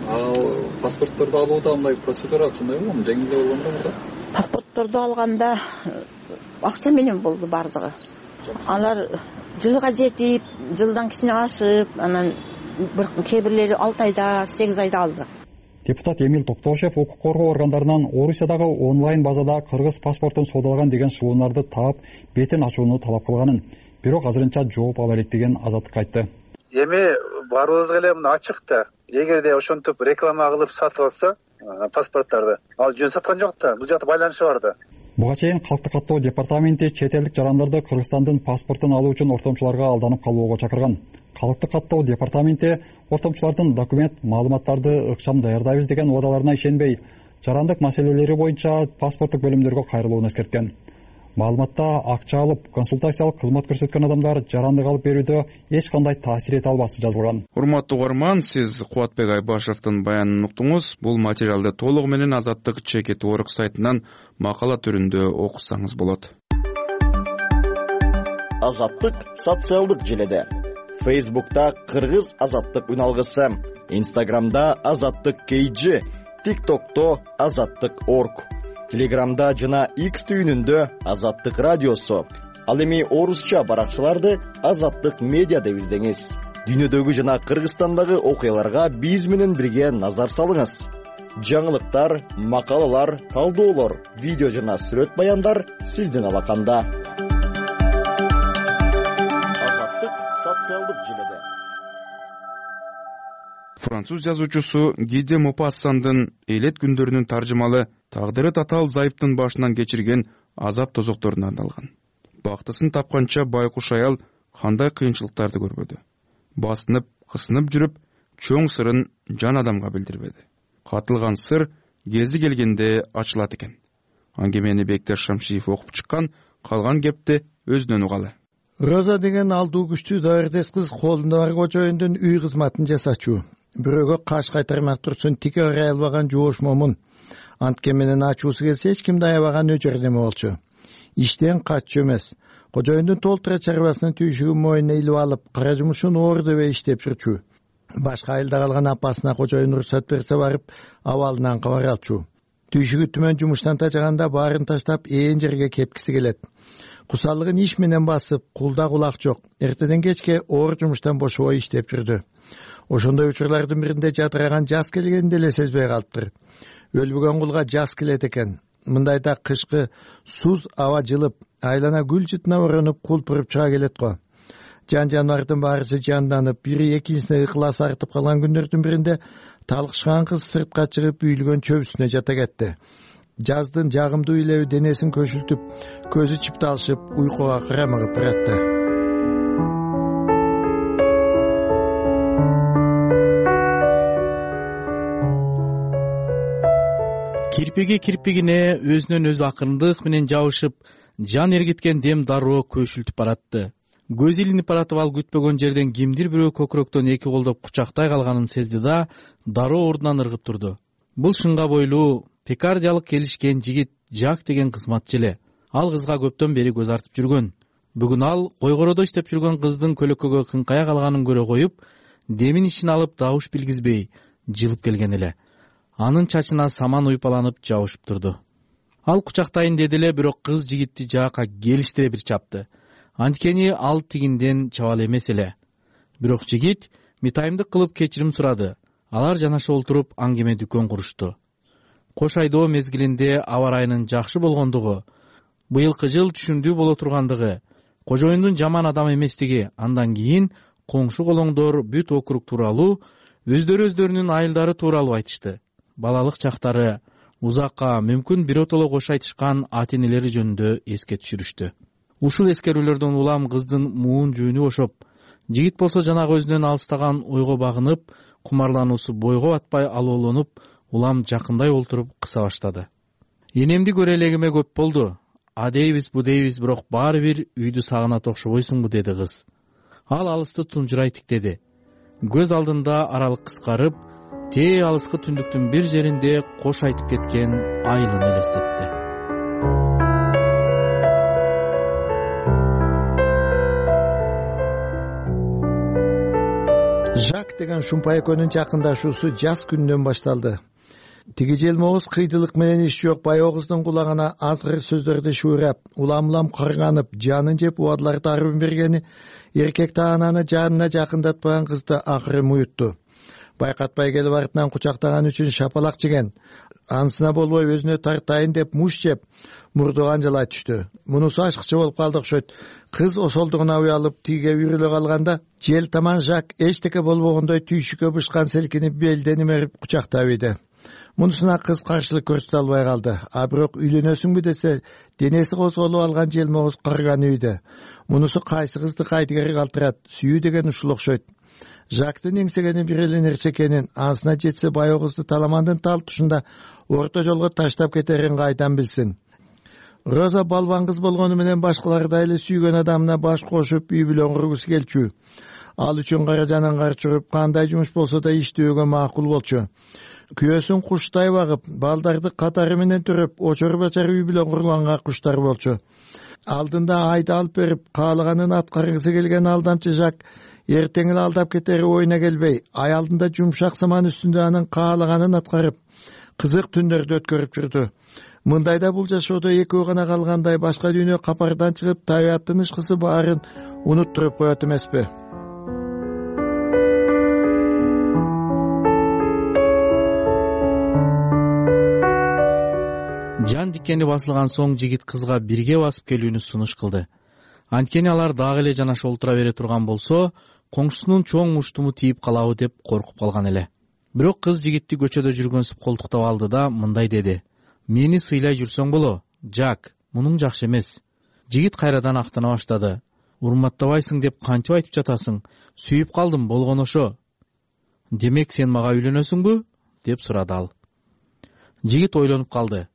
Ал паспортторду алууда андай процедура кандай болгон? Жеңил болгонбу мурда? Паспортторду алганда акча менен болду бардыгы. Алар жылга жетип, жылдан кичине ашып, анан бир кээ бирлери алты айда, сегиз айда алды. Депутат Эмил Токтошев укук коргоо органдарынан Орусиядагы онлайн базада кыргыз паспортун соодалаган деген шылуунарды таап, бетин ачууну талап кылганын, бирок азырынча жооп ала элек деген Азаттыкка айтты. Эми барыбызга эле мына ачык да. Эгерде ошентип реклама кылып сатып алса, паспорттарды, ал жөн саткан жок да. Бул жакта байланышы бар да. Буга чейин калкты каттоо департаменти чет элдик жарандарды Кыргызстандын паспортун алуу үчүн ортомчуларга алданып калууга чакырган. Калкты каттоо департаменти ортомчулардын документ, маалыматтарды ыкчам даярдайбыз деген убадаларына ишенбей, жарандык маселелери боюнча паспорттук бөлүмдөргө кайрылууну эскерткен. маалыматта акча алып консультациялык кызмат көрсөткөн адамдар жарандык алып берүүдө эч кандай таасир эте албашы жазылган. Урматтуу угарман, сиз Кубатбек Айбашевдин баянын уктуңуз. Бул материалды толугу менен Азаттык чекит орг сайтынан макала түрүндө окусаңыз болот. Азаттык социалдык желеде. Facebook'ta Кыргыз Азаттык үналгысы, Instagram'da Азаттык кей джи, TikTok'to Азаттык орг, Telegram'da жана X түйүнүндө Азаттык радиосу. Ал эми орусча баракчаларды Азаттык медиа деп издеңиз. Дүйнөдөгү жана Кыргызстандагы окуяларга биз менен бирге назар салыңыз. Жаңылыктар, макалалар, талдоолор, видео жана сүрөт баяндар сиздин алаканда. Француз жазуучусу Гиде Мопассандын элет күндөрүнүн таржымалы тагдыры татаал зайыптын башынан кечирген азап тозокторуна арналган. Бактысын тапканча байкуш аял кандай кыйынчылыктарды көрбөдү. Басынып, кысынып жүрүп, чоң сырын жан адамга билдирбеди. Катылган сыр кези келгенде ачылат экен. Аңгемени Бектер Шамшиев окуп чыккан, калган кепти өзүнөн угалы. Роза деген алдуу күчтүү даярдес кыз колунда бар кожоюндун үй кызматын жасачу. Бирөөгө каш кайтармак турсун тике ырай албаган жоош момун. Антке менен ачуусу келсе эч кимди аябаган өчөр неме болчу. Иштен каччу эмес. Кожоюндун толтура чарбасынын түйшүгүн мойнуна илип алып, кара жумушун оор дебей иштеп жүрчү. Башка айылда калган апасына кожоюн уруксат берсе барып, абалынан кабар алчу. Түйшүгү түмөн жумуштан тажаганда баарын таштап ээн жерге кеткиси келет. Кусалыгын иш менен басып, кулда кулак жок. Эртеден кечке оор жумуштан бошобой иштеп жүрдү. Ошондой учурлардын биринде жадыраган жаз келгенин деле сезбей калыптыр. Өлбөгөн кулга жаз келет экен. Мындайда кышкы суз аба жылып, айлана гүл жытына оронуп кулпуруп чыга келет го. Жан жаныбардын баарысы жанданып, бири экинчисине ыкыласы артып калган күндөрдүн биринде талкышкан кыз сыртка чыгып үйүлгөн чөп үстүнө жата кетти. Жаздын жагымдуу илеби денесин көшүлтүп, көзү чыпталышып, уйкуга карамыгып баратты. Кирпиги кирпигине өзүнөн өзү акырындык менен жабышып, жан эргиткен дем дароо көшүлтүп баратты. Көз илинип баратып, ал күтпөгөн жерден кимдир бирөө көкүрөктөн эки колдоп кучактай калганын сезди да, дароо ордунан ыргып турду. Бул шыңга бойлуу, пекардиялык келишкен жигит Жак деген кызматчы эле. Ал кызга көптөн бери көз артып жүргөн. Бүгүн ал койгоодо иштеп жүргөн кыздын көлөккөгө кыңкая калганын көрө коюп, демин ишин алып добуш билгизбей жылып келген эле. Анын чачына саман уйпаланып жабышып турду. Ал кучактайын деди эле, бирок кыз жигитти жаакка келиштире бир чапты. Анткени ал тигинден чабал эмес эле. Бирок жигит митайымдык кылып кечирим сурады. Алар жанаша олтуруп аңгеме дүкөн курушту. Кош айдоо мезгилинде аба ырайынын жакшы болгондугу, быйылкы жыл түшүмдүү боло тургандыгы, кожоюндун жаман адам эместиги, андан кийин коңшу колоңдор бүт округ тууралуу, өздөрү өздөрүнүн айылдары тууралуу айтышты. Балалык чактары, узакка, мүмкүн биротоло кош айтышкан ата энелери жөнүндө эске түшүрүштү. Ушул эскерүүлөрдөн улам кыздын муун жүүнү бошоп, жигит болсо жанагы өзүнөн алыстаган ойго багынып, кумарлануусу бойго батпай алоолонуп, улам жакындай олтуруп кыса баштады. Энемди көрө элегиме көп болду. А дейбиз, бу дейбиз, бирок баары бир үйдү сагынат окшобойсуңбу, деди кыз. Ал алысты тунжурай тиктеди. Көз алдында аралык кыскарып, тээ алыскы түндүктүн бир жеринде кош айтып кеткен айылын элестетти. Жак деген шумпай экөөнүн жакындашуусу жаз күнүнөн башталды. Тиги желмогуз кыйдылык менен иш жок байогуздун кулагына азгыр сөздөрдү шуурап, улам-улам карганып, жанын жеп убадылар тарыбын бергени эркек таананы жанына жакындатпаган кызды акыры муютту. Байкатпай келип артынан кучактаган үчүн шапалак жеген. Анысына болбой өзүнө тартайын деп муш жеп, мурду канжалай түштү. Мунусу ашыкчы болуп калды окшойт. Кыз осолдугуна уялып тиге үрүлө калганда, жел таман Жак эчтеке болбогондой түйшүккө бышкан селкинип белден имерип кучактап ийди. Мунусуна кыз каршылык көрсөтө албай калды. А бирок үйлөнөсүңбү десе, денеси козголуп алган желмогуз кырган үйдө. Мунусу кайсы кызды кайтыгери калтырат, сүйүү деген ушул окшойт. Жактын эңсегени бир эле нерсе экенин, анысына жетсе байогузду таламандын тал тушунда орто жолго таштап кетерин кайдан билсин. Роза балбан кыз болгону менен башкалардай эле сүйгөн адамына баш кошуп үй бүлө кургусу келчү. Ал үчүн кара жананга чыгып кандай жумуш болсо да иштөөгө макул болчу. Күйөөсүн куштай багып, балдарды катары менен төрөп, очор бачар үй бүлө курганга куштар болчу. Алдында айды алып берип, каалаганын аткаргысы келген алдамчы Жак эртең эле алдап кетери оюна келбей, аялдында жумшак саман үстүндө анын каалаганын аткарып, кызык түндөрдү өткөрүп жүрдү. Мындайда бул жашоодо экөө гана калгандай башка дүйнө капардан чыгып, табияттын ышкысы баарын унуттуруп коет эмеспи? Жан дикени басылган соң жигит кызга бирге басып келүүнү сунуш кылды. Анткени алар дагы эле жанаша олтура бере турган болсо, коңшусунун чоң муштуму тийип калабы деп коркуп калган эле. Бирок кыз жигитти көчөдө жүргөнсүп колтуктап алды да мындай деди: "Мени сыйлай жүрсөң боло, Жак, мунуң жакшы эмес." Жигит кайрадан актана баштады. "Урматтабайсың деп кантип айтып жатасың? Сүйүп калдым, болгону ошо." "Демек сен мага үйлөнөсүңбү?" деп сурады ал. Жигит ойлонуп калды.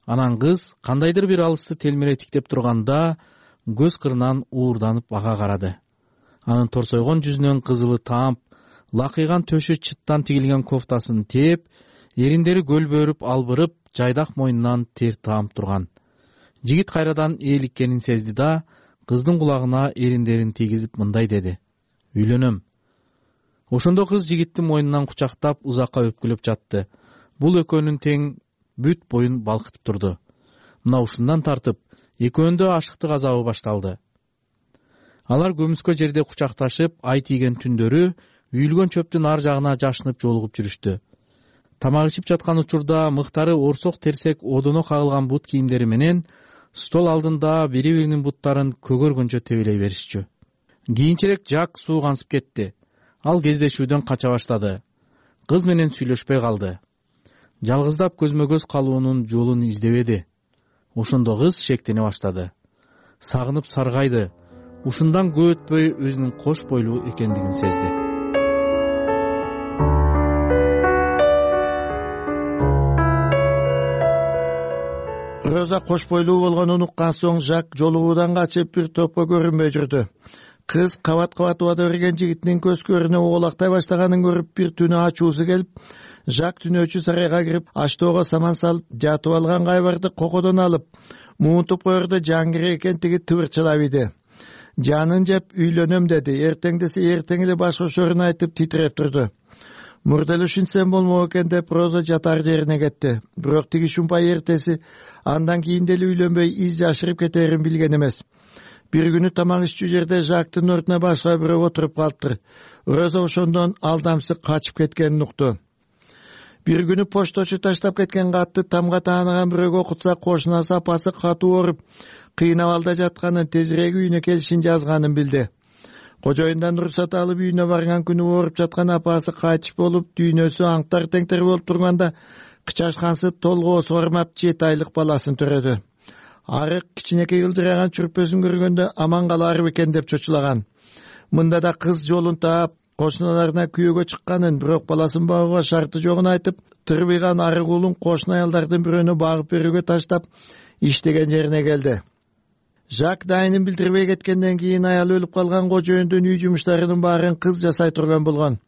Анан кыз кандайдыр бир алысты телмире тиктеп турганда көз кырынан уурданып ага карады. Анын торсойгон жүзүнөн кызылы таамп, лакыйган төшү чыттан тигилген кофтасын тээп, эриндери көлбөрүп албырып, жайдак мойнунан тер таамп турган. Жигит кайрадан ээликкенин сезди да, кыздын кулагына эриндерин тийгизип мындай деди: "Үйлөнөм." Ошондо кыз жигиттин мойнунан кучактап узакка өпкүлөп жатты. Бул экөөнүн тең бүт боюн балкытып турду. Мына ушундан тартып, экөөндө ашыктык азабы башталды. Алар көмүскө жерде кучакташып, ай тийген түндөрү үйүлгөн чөптүн ар жагына жашынып жолугуп жүрүштү. Тамак ичип жаткан учурда мыктары орсок терсек одоно кагылган бут кийимдери менен стол алдында бири-биринин буттарын көгөргөнчө тебелей беришчү. Кийинчерээк Жак суугансып кетти. Ал кездешүүдөн кача баштады. Кыз менен сүйлөшпөй калды. Жалгыздап көзмө-көз калуунун жолун издебеди. Ошондо кыз шектене баштады. Сагынып саргайды. Ушундан көп өтпөй өзүнүн кош бойлуу экендигин сезди. Роза кош бойлуу болгонун уккан соң Жак жолугуудан качып бир топко көрүнбөй жүрдү. Кыз кабат-кабат убада берген жигитинин көз көрүнө оолактай баштаганын көрүп бир түнү ачуусу келип, Жак түнөөчү сарайга кирип, аштоого саман салып, жатып алган кайбарды кокодон алып, муунтуп коерде жан керек экен тиги тыбырчылап иди. Жанын жеп үйлөнөм деди. Эртең десе эртең эле баш кошорун айтып титиреп турду. Мурда эле ушинсем болмок экен деп Роза жатар жерине кетти. Бирок тиги шумпай эртеси андан кийин деле үйлөнбөй из жашырып кетерин билген эмес. Бир күнү тамак иччү жерде Жактын ордуна башка бирөө отуруп калыптыр. Роза ошондон алдамчысы качып кеткенин укту. Бир күнү пошточу таштап кеткен катты тамга таанаган бирөөгө окутса, кошунасы апасы катуу ооруп, кыйнап алда жатканын, тезирээк үйүнө келишин жазганын билди. Кожоюндан уруксат алып үйүнө барган күнү ооруп жаткан апасы кайтыш болуп, дүйнөсү аңтар теңтер болуп турганда, кычашкансып толгоосу ормап жети айлык баласын төрөдү. Арык кичинекей ылдыраган чүрпөсүн көргөндө аман калар бекен деп чочулаган. Мында да кыз жолун таап, кошуналарына күйөөгө чыкканын, бирок баласын багууга шарты жогун айтып, тырбыйган арык уулун кошуна аялдардын бирөөнө багып берүүгө таштап, иштеген жерине келди. Жак дайынын билдирбей кеткенден кийин аялы өлүп калган кожоюндун үй жумуштарынын баарын кыз жасай турган болгон.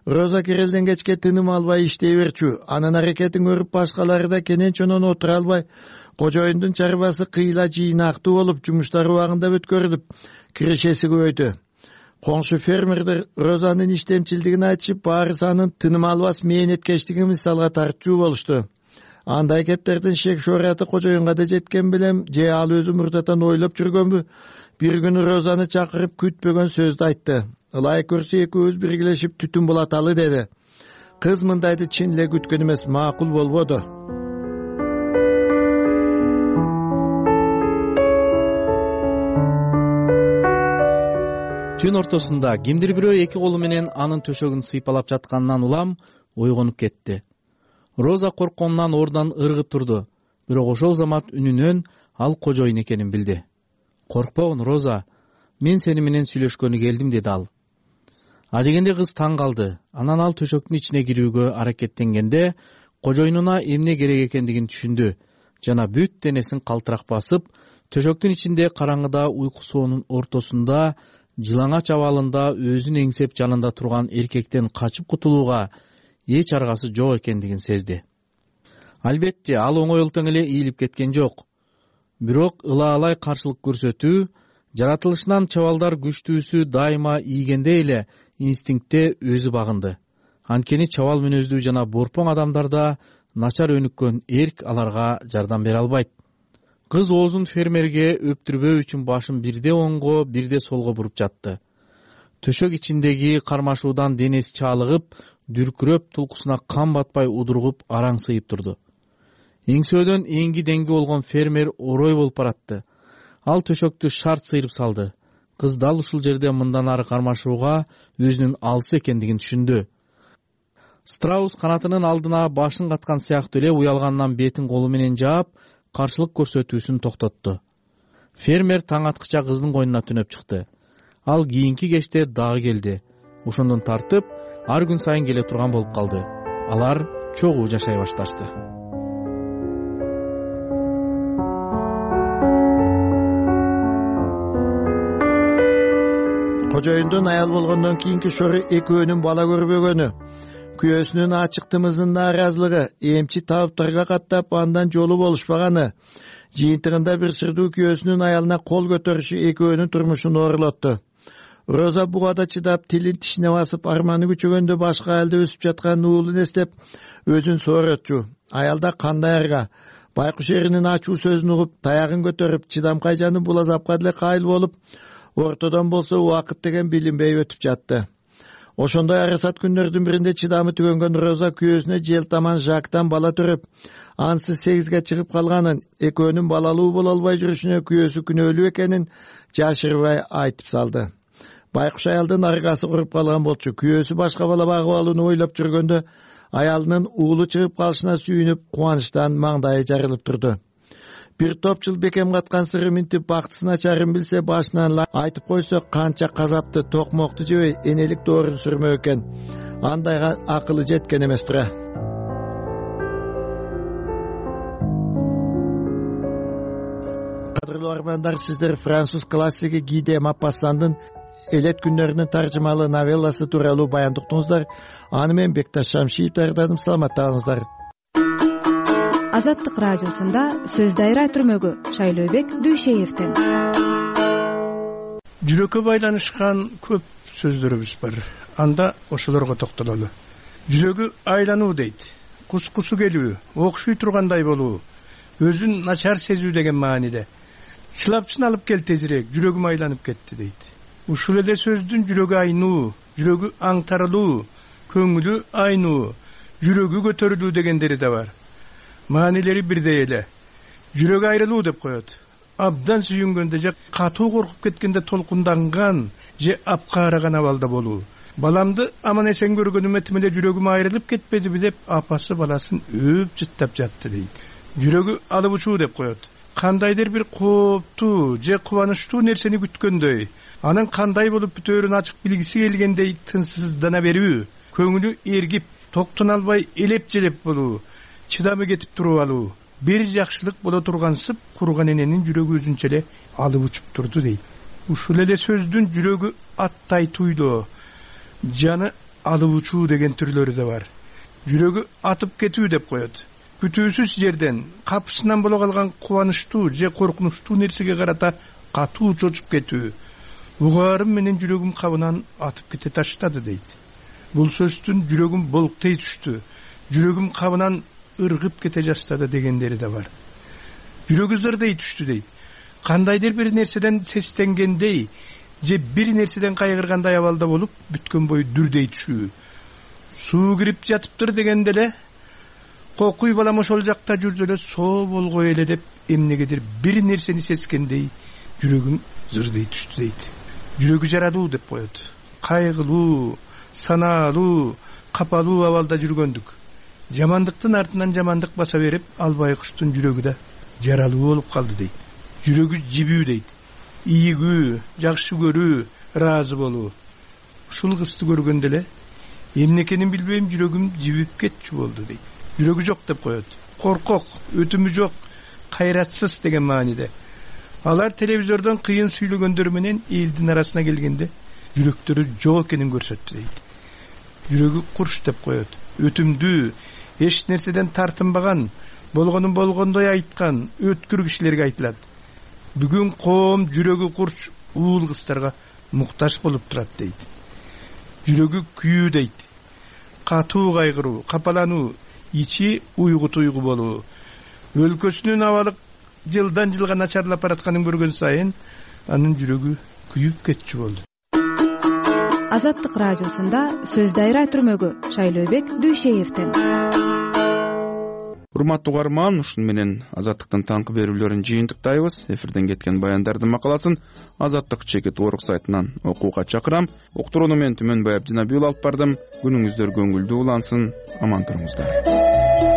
Роза Кирелден кечке тыным албай иштей берчү. Анын аракетин көрүп башкалары да кенен чонон отура албай, кожоюндун чарбасы кыйла жыйнактуу болуп, жумуштары убагында бүткөрүлүп, кирешеси көбөйдү. Коңшу фермердер Розанын иштемчилдигин айтышып, баарысы анын тыным албас мээнеткечтигин мисалга тартчу болушту. Андай кептердин шек шораты кожоюнга да жеткен белем, же ал өзү мурдатан ойлоп жүргөнбү? Бир күнү Розаны чакырып күтпөгөн сөздү айтты. Ылайык көрсө экөөбүз биргелешип түтүн булаталы деди. Кыз мындайды чын эле күткөн эмес, макул болбоду. Түн ортосунда кимдир бирөө эки колу менен анын төшөгүн сыйпалап жатканынан улам ойгонуп кетти. Роза коркконунан ордунан ыргып турду, бирок ошол замат үнүнөн ал кожоюн экенин билди. "Коркпогун, Роза, мен сени менен сүйлөшкөнү келдим", деди ал. А дегенде кыз таң калды. Анан ал төшөктүн ичине кирүүгө аракеттенгенде кожоюнуна эмне керек экендигин түшүндү жана бүт денесин калтырак басып, төшөктүн ичинде караңгыда уйку соонун ортосунда жылаңач абалында өзүн эңсеп жанында турган эркектен качып кутулууга эч аргасы жок экендигин сезди. Албетте, ал оңойлуктан эле ийилип кеткен жок. Бирок ылаалай каршылык көрсөтүү, жаратылышынан чабалдар күчтүүсү дайыма ийгенде эле инстинктте өзү багынды. Анткени чабал мүнөздүү жана борпоң адамдарда начар өнүккөн эрк аларга жардам бере албайт. Кыз оозун фермерге өптүрбөө үчүн башын бирде оңго, бирде солго буруп жатты. Төшөк ичиндеги кармашуудан денеси чаалыгып, дүркүрөп, тулкусуна кан батпай удургуп, араңсыйып турду. Эңсөөдөн эңги деңги болгон фермер орой болуп баратты. Ал төшөктү шарт сыйрып салды. Кыз дал ушул жерде мындан ары кармашууга өзүнүн алыс экендигин түшүндү. Страус канатынын алдына башын каткан сыяктуу эле уялгандан бетин колу менен жаап, каршылык көрсөтүүсүн токтотту. Фермер таң аткыча кыздын койнуна түнөп чыкты. Ал кийинки кечте дагы келди. Ошондон тартып, ар күн сайын келе турган болуп калды. Алар чогуу жашай башташты. Кожоюндун аял болгондон кийинки шору экөөнүн бала көрбөгөнү, күйөөсүнүн ачык тымызына нааразылыгы, эмчи табыптарга каттап андан жолу болушпаганы, жыйынтыгында бир сырдуу күйөөсүнүн аялына кол көтөрүшү экөөнүн турмушун оорулотту. Роза бугада чыдап, тилин тишине басып, арманы күчөгөндө башка айылда өсүп жаткан уулун эстеп, өзүн сооротчу. Аялда кандай арга, байкуш эринин ачуу сөзүн угуп, таягын көтөрүп, чыдамкай жаны бул азапка деле кайыл болуп, ортодон болсо убакыт деген билинбей өтүп жатты. Ошондой арасат күндөрдүн биринде чыдамы түгөнгөн Роза күйөөсүнө желтаман Жактан бала төрөп, ансыз сегизге чыгып калганын, экөөнүн балалуу боло албай жүрүшүнө күйөөсү күнөөлүү экенин жашырбай айтып салды. Байкуш аялдын аргасы куруп калган болчу. Күйөөсү башка бала багып алууну ойлоп жүргөндө, аялынын уулу чыгып калышына сүйүнүп, кубанычтан маңдайы жарылып турду. Бир топ жыл бекем каткан сыры минтип бактысын ачарын билсе, башынан айтып койсо, канча казапты, токмокту жебей, энелик доорун сүрмөө экен. Андайга акылы жеткен эмес тура. Кадырлуу армандар, сиздер француз классиги Ги де Мопассандын Элет күннөрүнүн таржымалуу новелласы тууралуу баяндыктыңыздар. Аны мен Бекташ Шамшиев даярдадым. Саламаттаңыздар. Азаттык радиосунда сөз дайра түрмөгү Шайлообек Дүйшеевден. Жүрөккө байланышкан көп сөздөрүбүз бар. Анда ошолорго токтололу. Жүрөгү айлануу дейт. Кускусу келүү, окшуй тургандай болуу, өзүн начар сезүү деген мааниде. Чылапчын алып кел тезирээк, жүрөгүм айланып кетти дейт. Ушул эле сөздүн жүрөгү айнуу, жүрөгү аңтарылуу, көңүлү айнуу, жүрөгү көтөрүлүү дегендери да бар. Маанилери бирдей эле. Жүрөк айрылуу деп коет. Абдан сүйүнгөндө же катуу коркуп кеткенде толкунданган же апкаараган абалда болуу. Баламды аман эсен көргөнүмө тим эле жүрөгүм айрылып кетпедиби деп апасы баласын өөп жыттап жатты дейт. Жүрөгү алып учуу деп коет. Кандайдыр бир кооптуу же кубанычтуу нерсени күткөндөй, анын кандай болуп бүтөөрүн ачык билгиси келгендей тынчсыздана берүү, көңүлү эргип, токтоно албай элеп желеп болуу, чыдамы кетип туруп алуу, бир жакшылык боло тургансып, курган эненин жүрөгү өзүнчө эле алып учуп турду дейт. Ушул эле сөздүн жүрөгү аттай туйлоо, жаны алып учуу деген түрлөрү да бар. Жүрөгү атып кетүү деп коет. Күтүүсүз жерден, капысынан боло калган кубанычтуу же коркунучтуу нерсеге карата катуу чочуп кетүү. Угаарым менен жүрөгүм кабынан атып кете таштады дейт. Бул сөздүн жүрөгүм болуктей түштү, жүрөгүм кабынан ыргып кете жастады дегендери да бар. Жүрөгү зырдей түштү дейт. Кандайдыр бир нерседен сестенгендей же бир нерседен кайгыргандай абалда болуп, бүткөн бою дүрдей түшүү. Суу кирип жатыптыр дегенде эле, кокуй балам ошол жакта жүрдү эле, соо болгой эле деп эмнегедир бир нерсени сескендей жүрөгүм зырдей түштү дейт. Жүрөгү жаралуу деп коет. Кайгылуу, санаалуу, капалуу абалда жүргөндүк. Жамандыктын артынан жамандык баса берип, албай куштун жүрөгү да жаралуу болуп калды дейт. Жүрөгү жибүү дейт. Ийгүү, жакшы көрүү, ыраазы болуу. Ушул кызды көргөндө эле эмнекенин билбейм, жүрөгүм жибип кетчү болду дейт. Жүрөгү жок деп коет. Коркок, өтүмү жок, кайратсыз деген мааниде. Алар телевизордон кыйын сүйлөгөндөр менен элдин арасына келгенде жүрөктөрү жок экенин көрсөттү дейт. Жүрөгү курч деп коет. Өтүмдүү, эч нерседен тартынбаган, болгонун болгондой айткан өткүр кишилерге айтылат. Бүгүн коом жүрөгү курч уул кыздарга муктаж болуп турат дейт. Жүрөгү күйүү дейт. Катуу кайгыруу, капалануу, ичи уйгу туйгу болуу. Өлкөсүнүн абалы жылдан жылга начарлап баратканын көргөн сайын анын жүрөгү күйүп кетчү болду. Азаттык радиосунда сөз дайра түрмөгү Шайлообек Дүйшеевден. Урматтуу угарман, ушун менен Азаттыктын таңкы берүүлөрүн жыйынтыктайбыз. Эфирден кеткен баяндардын макаласын Азаттык чекит орг сайтынан окууга чакырам. Уктурууну мен Түмөнбай Абдинабиул алып бардым. Күнүңүздөр көңүлдүү улансын, аман туруңуздар.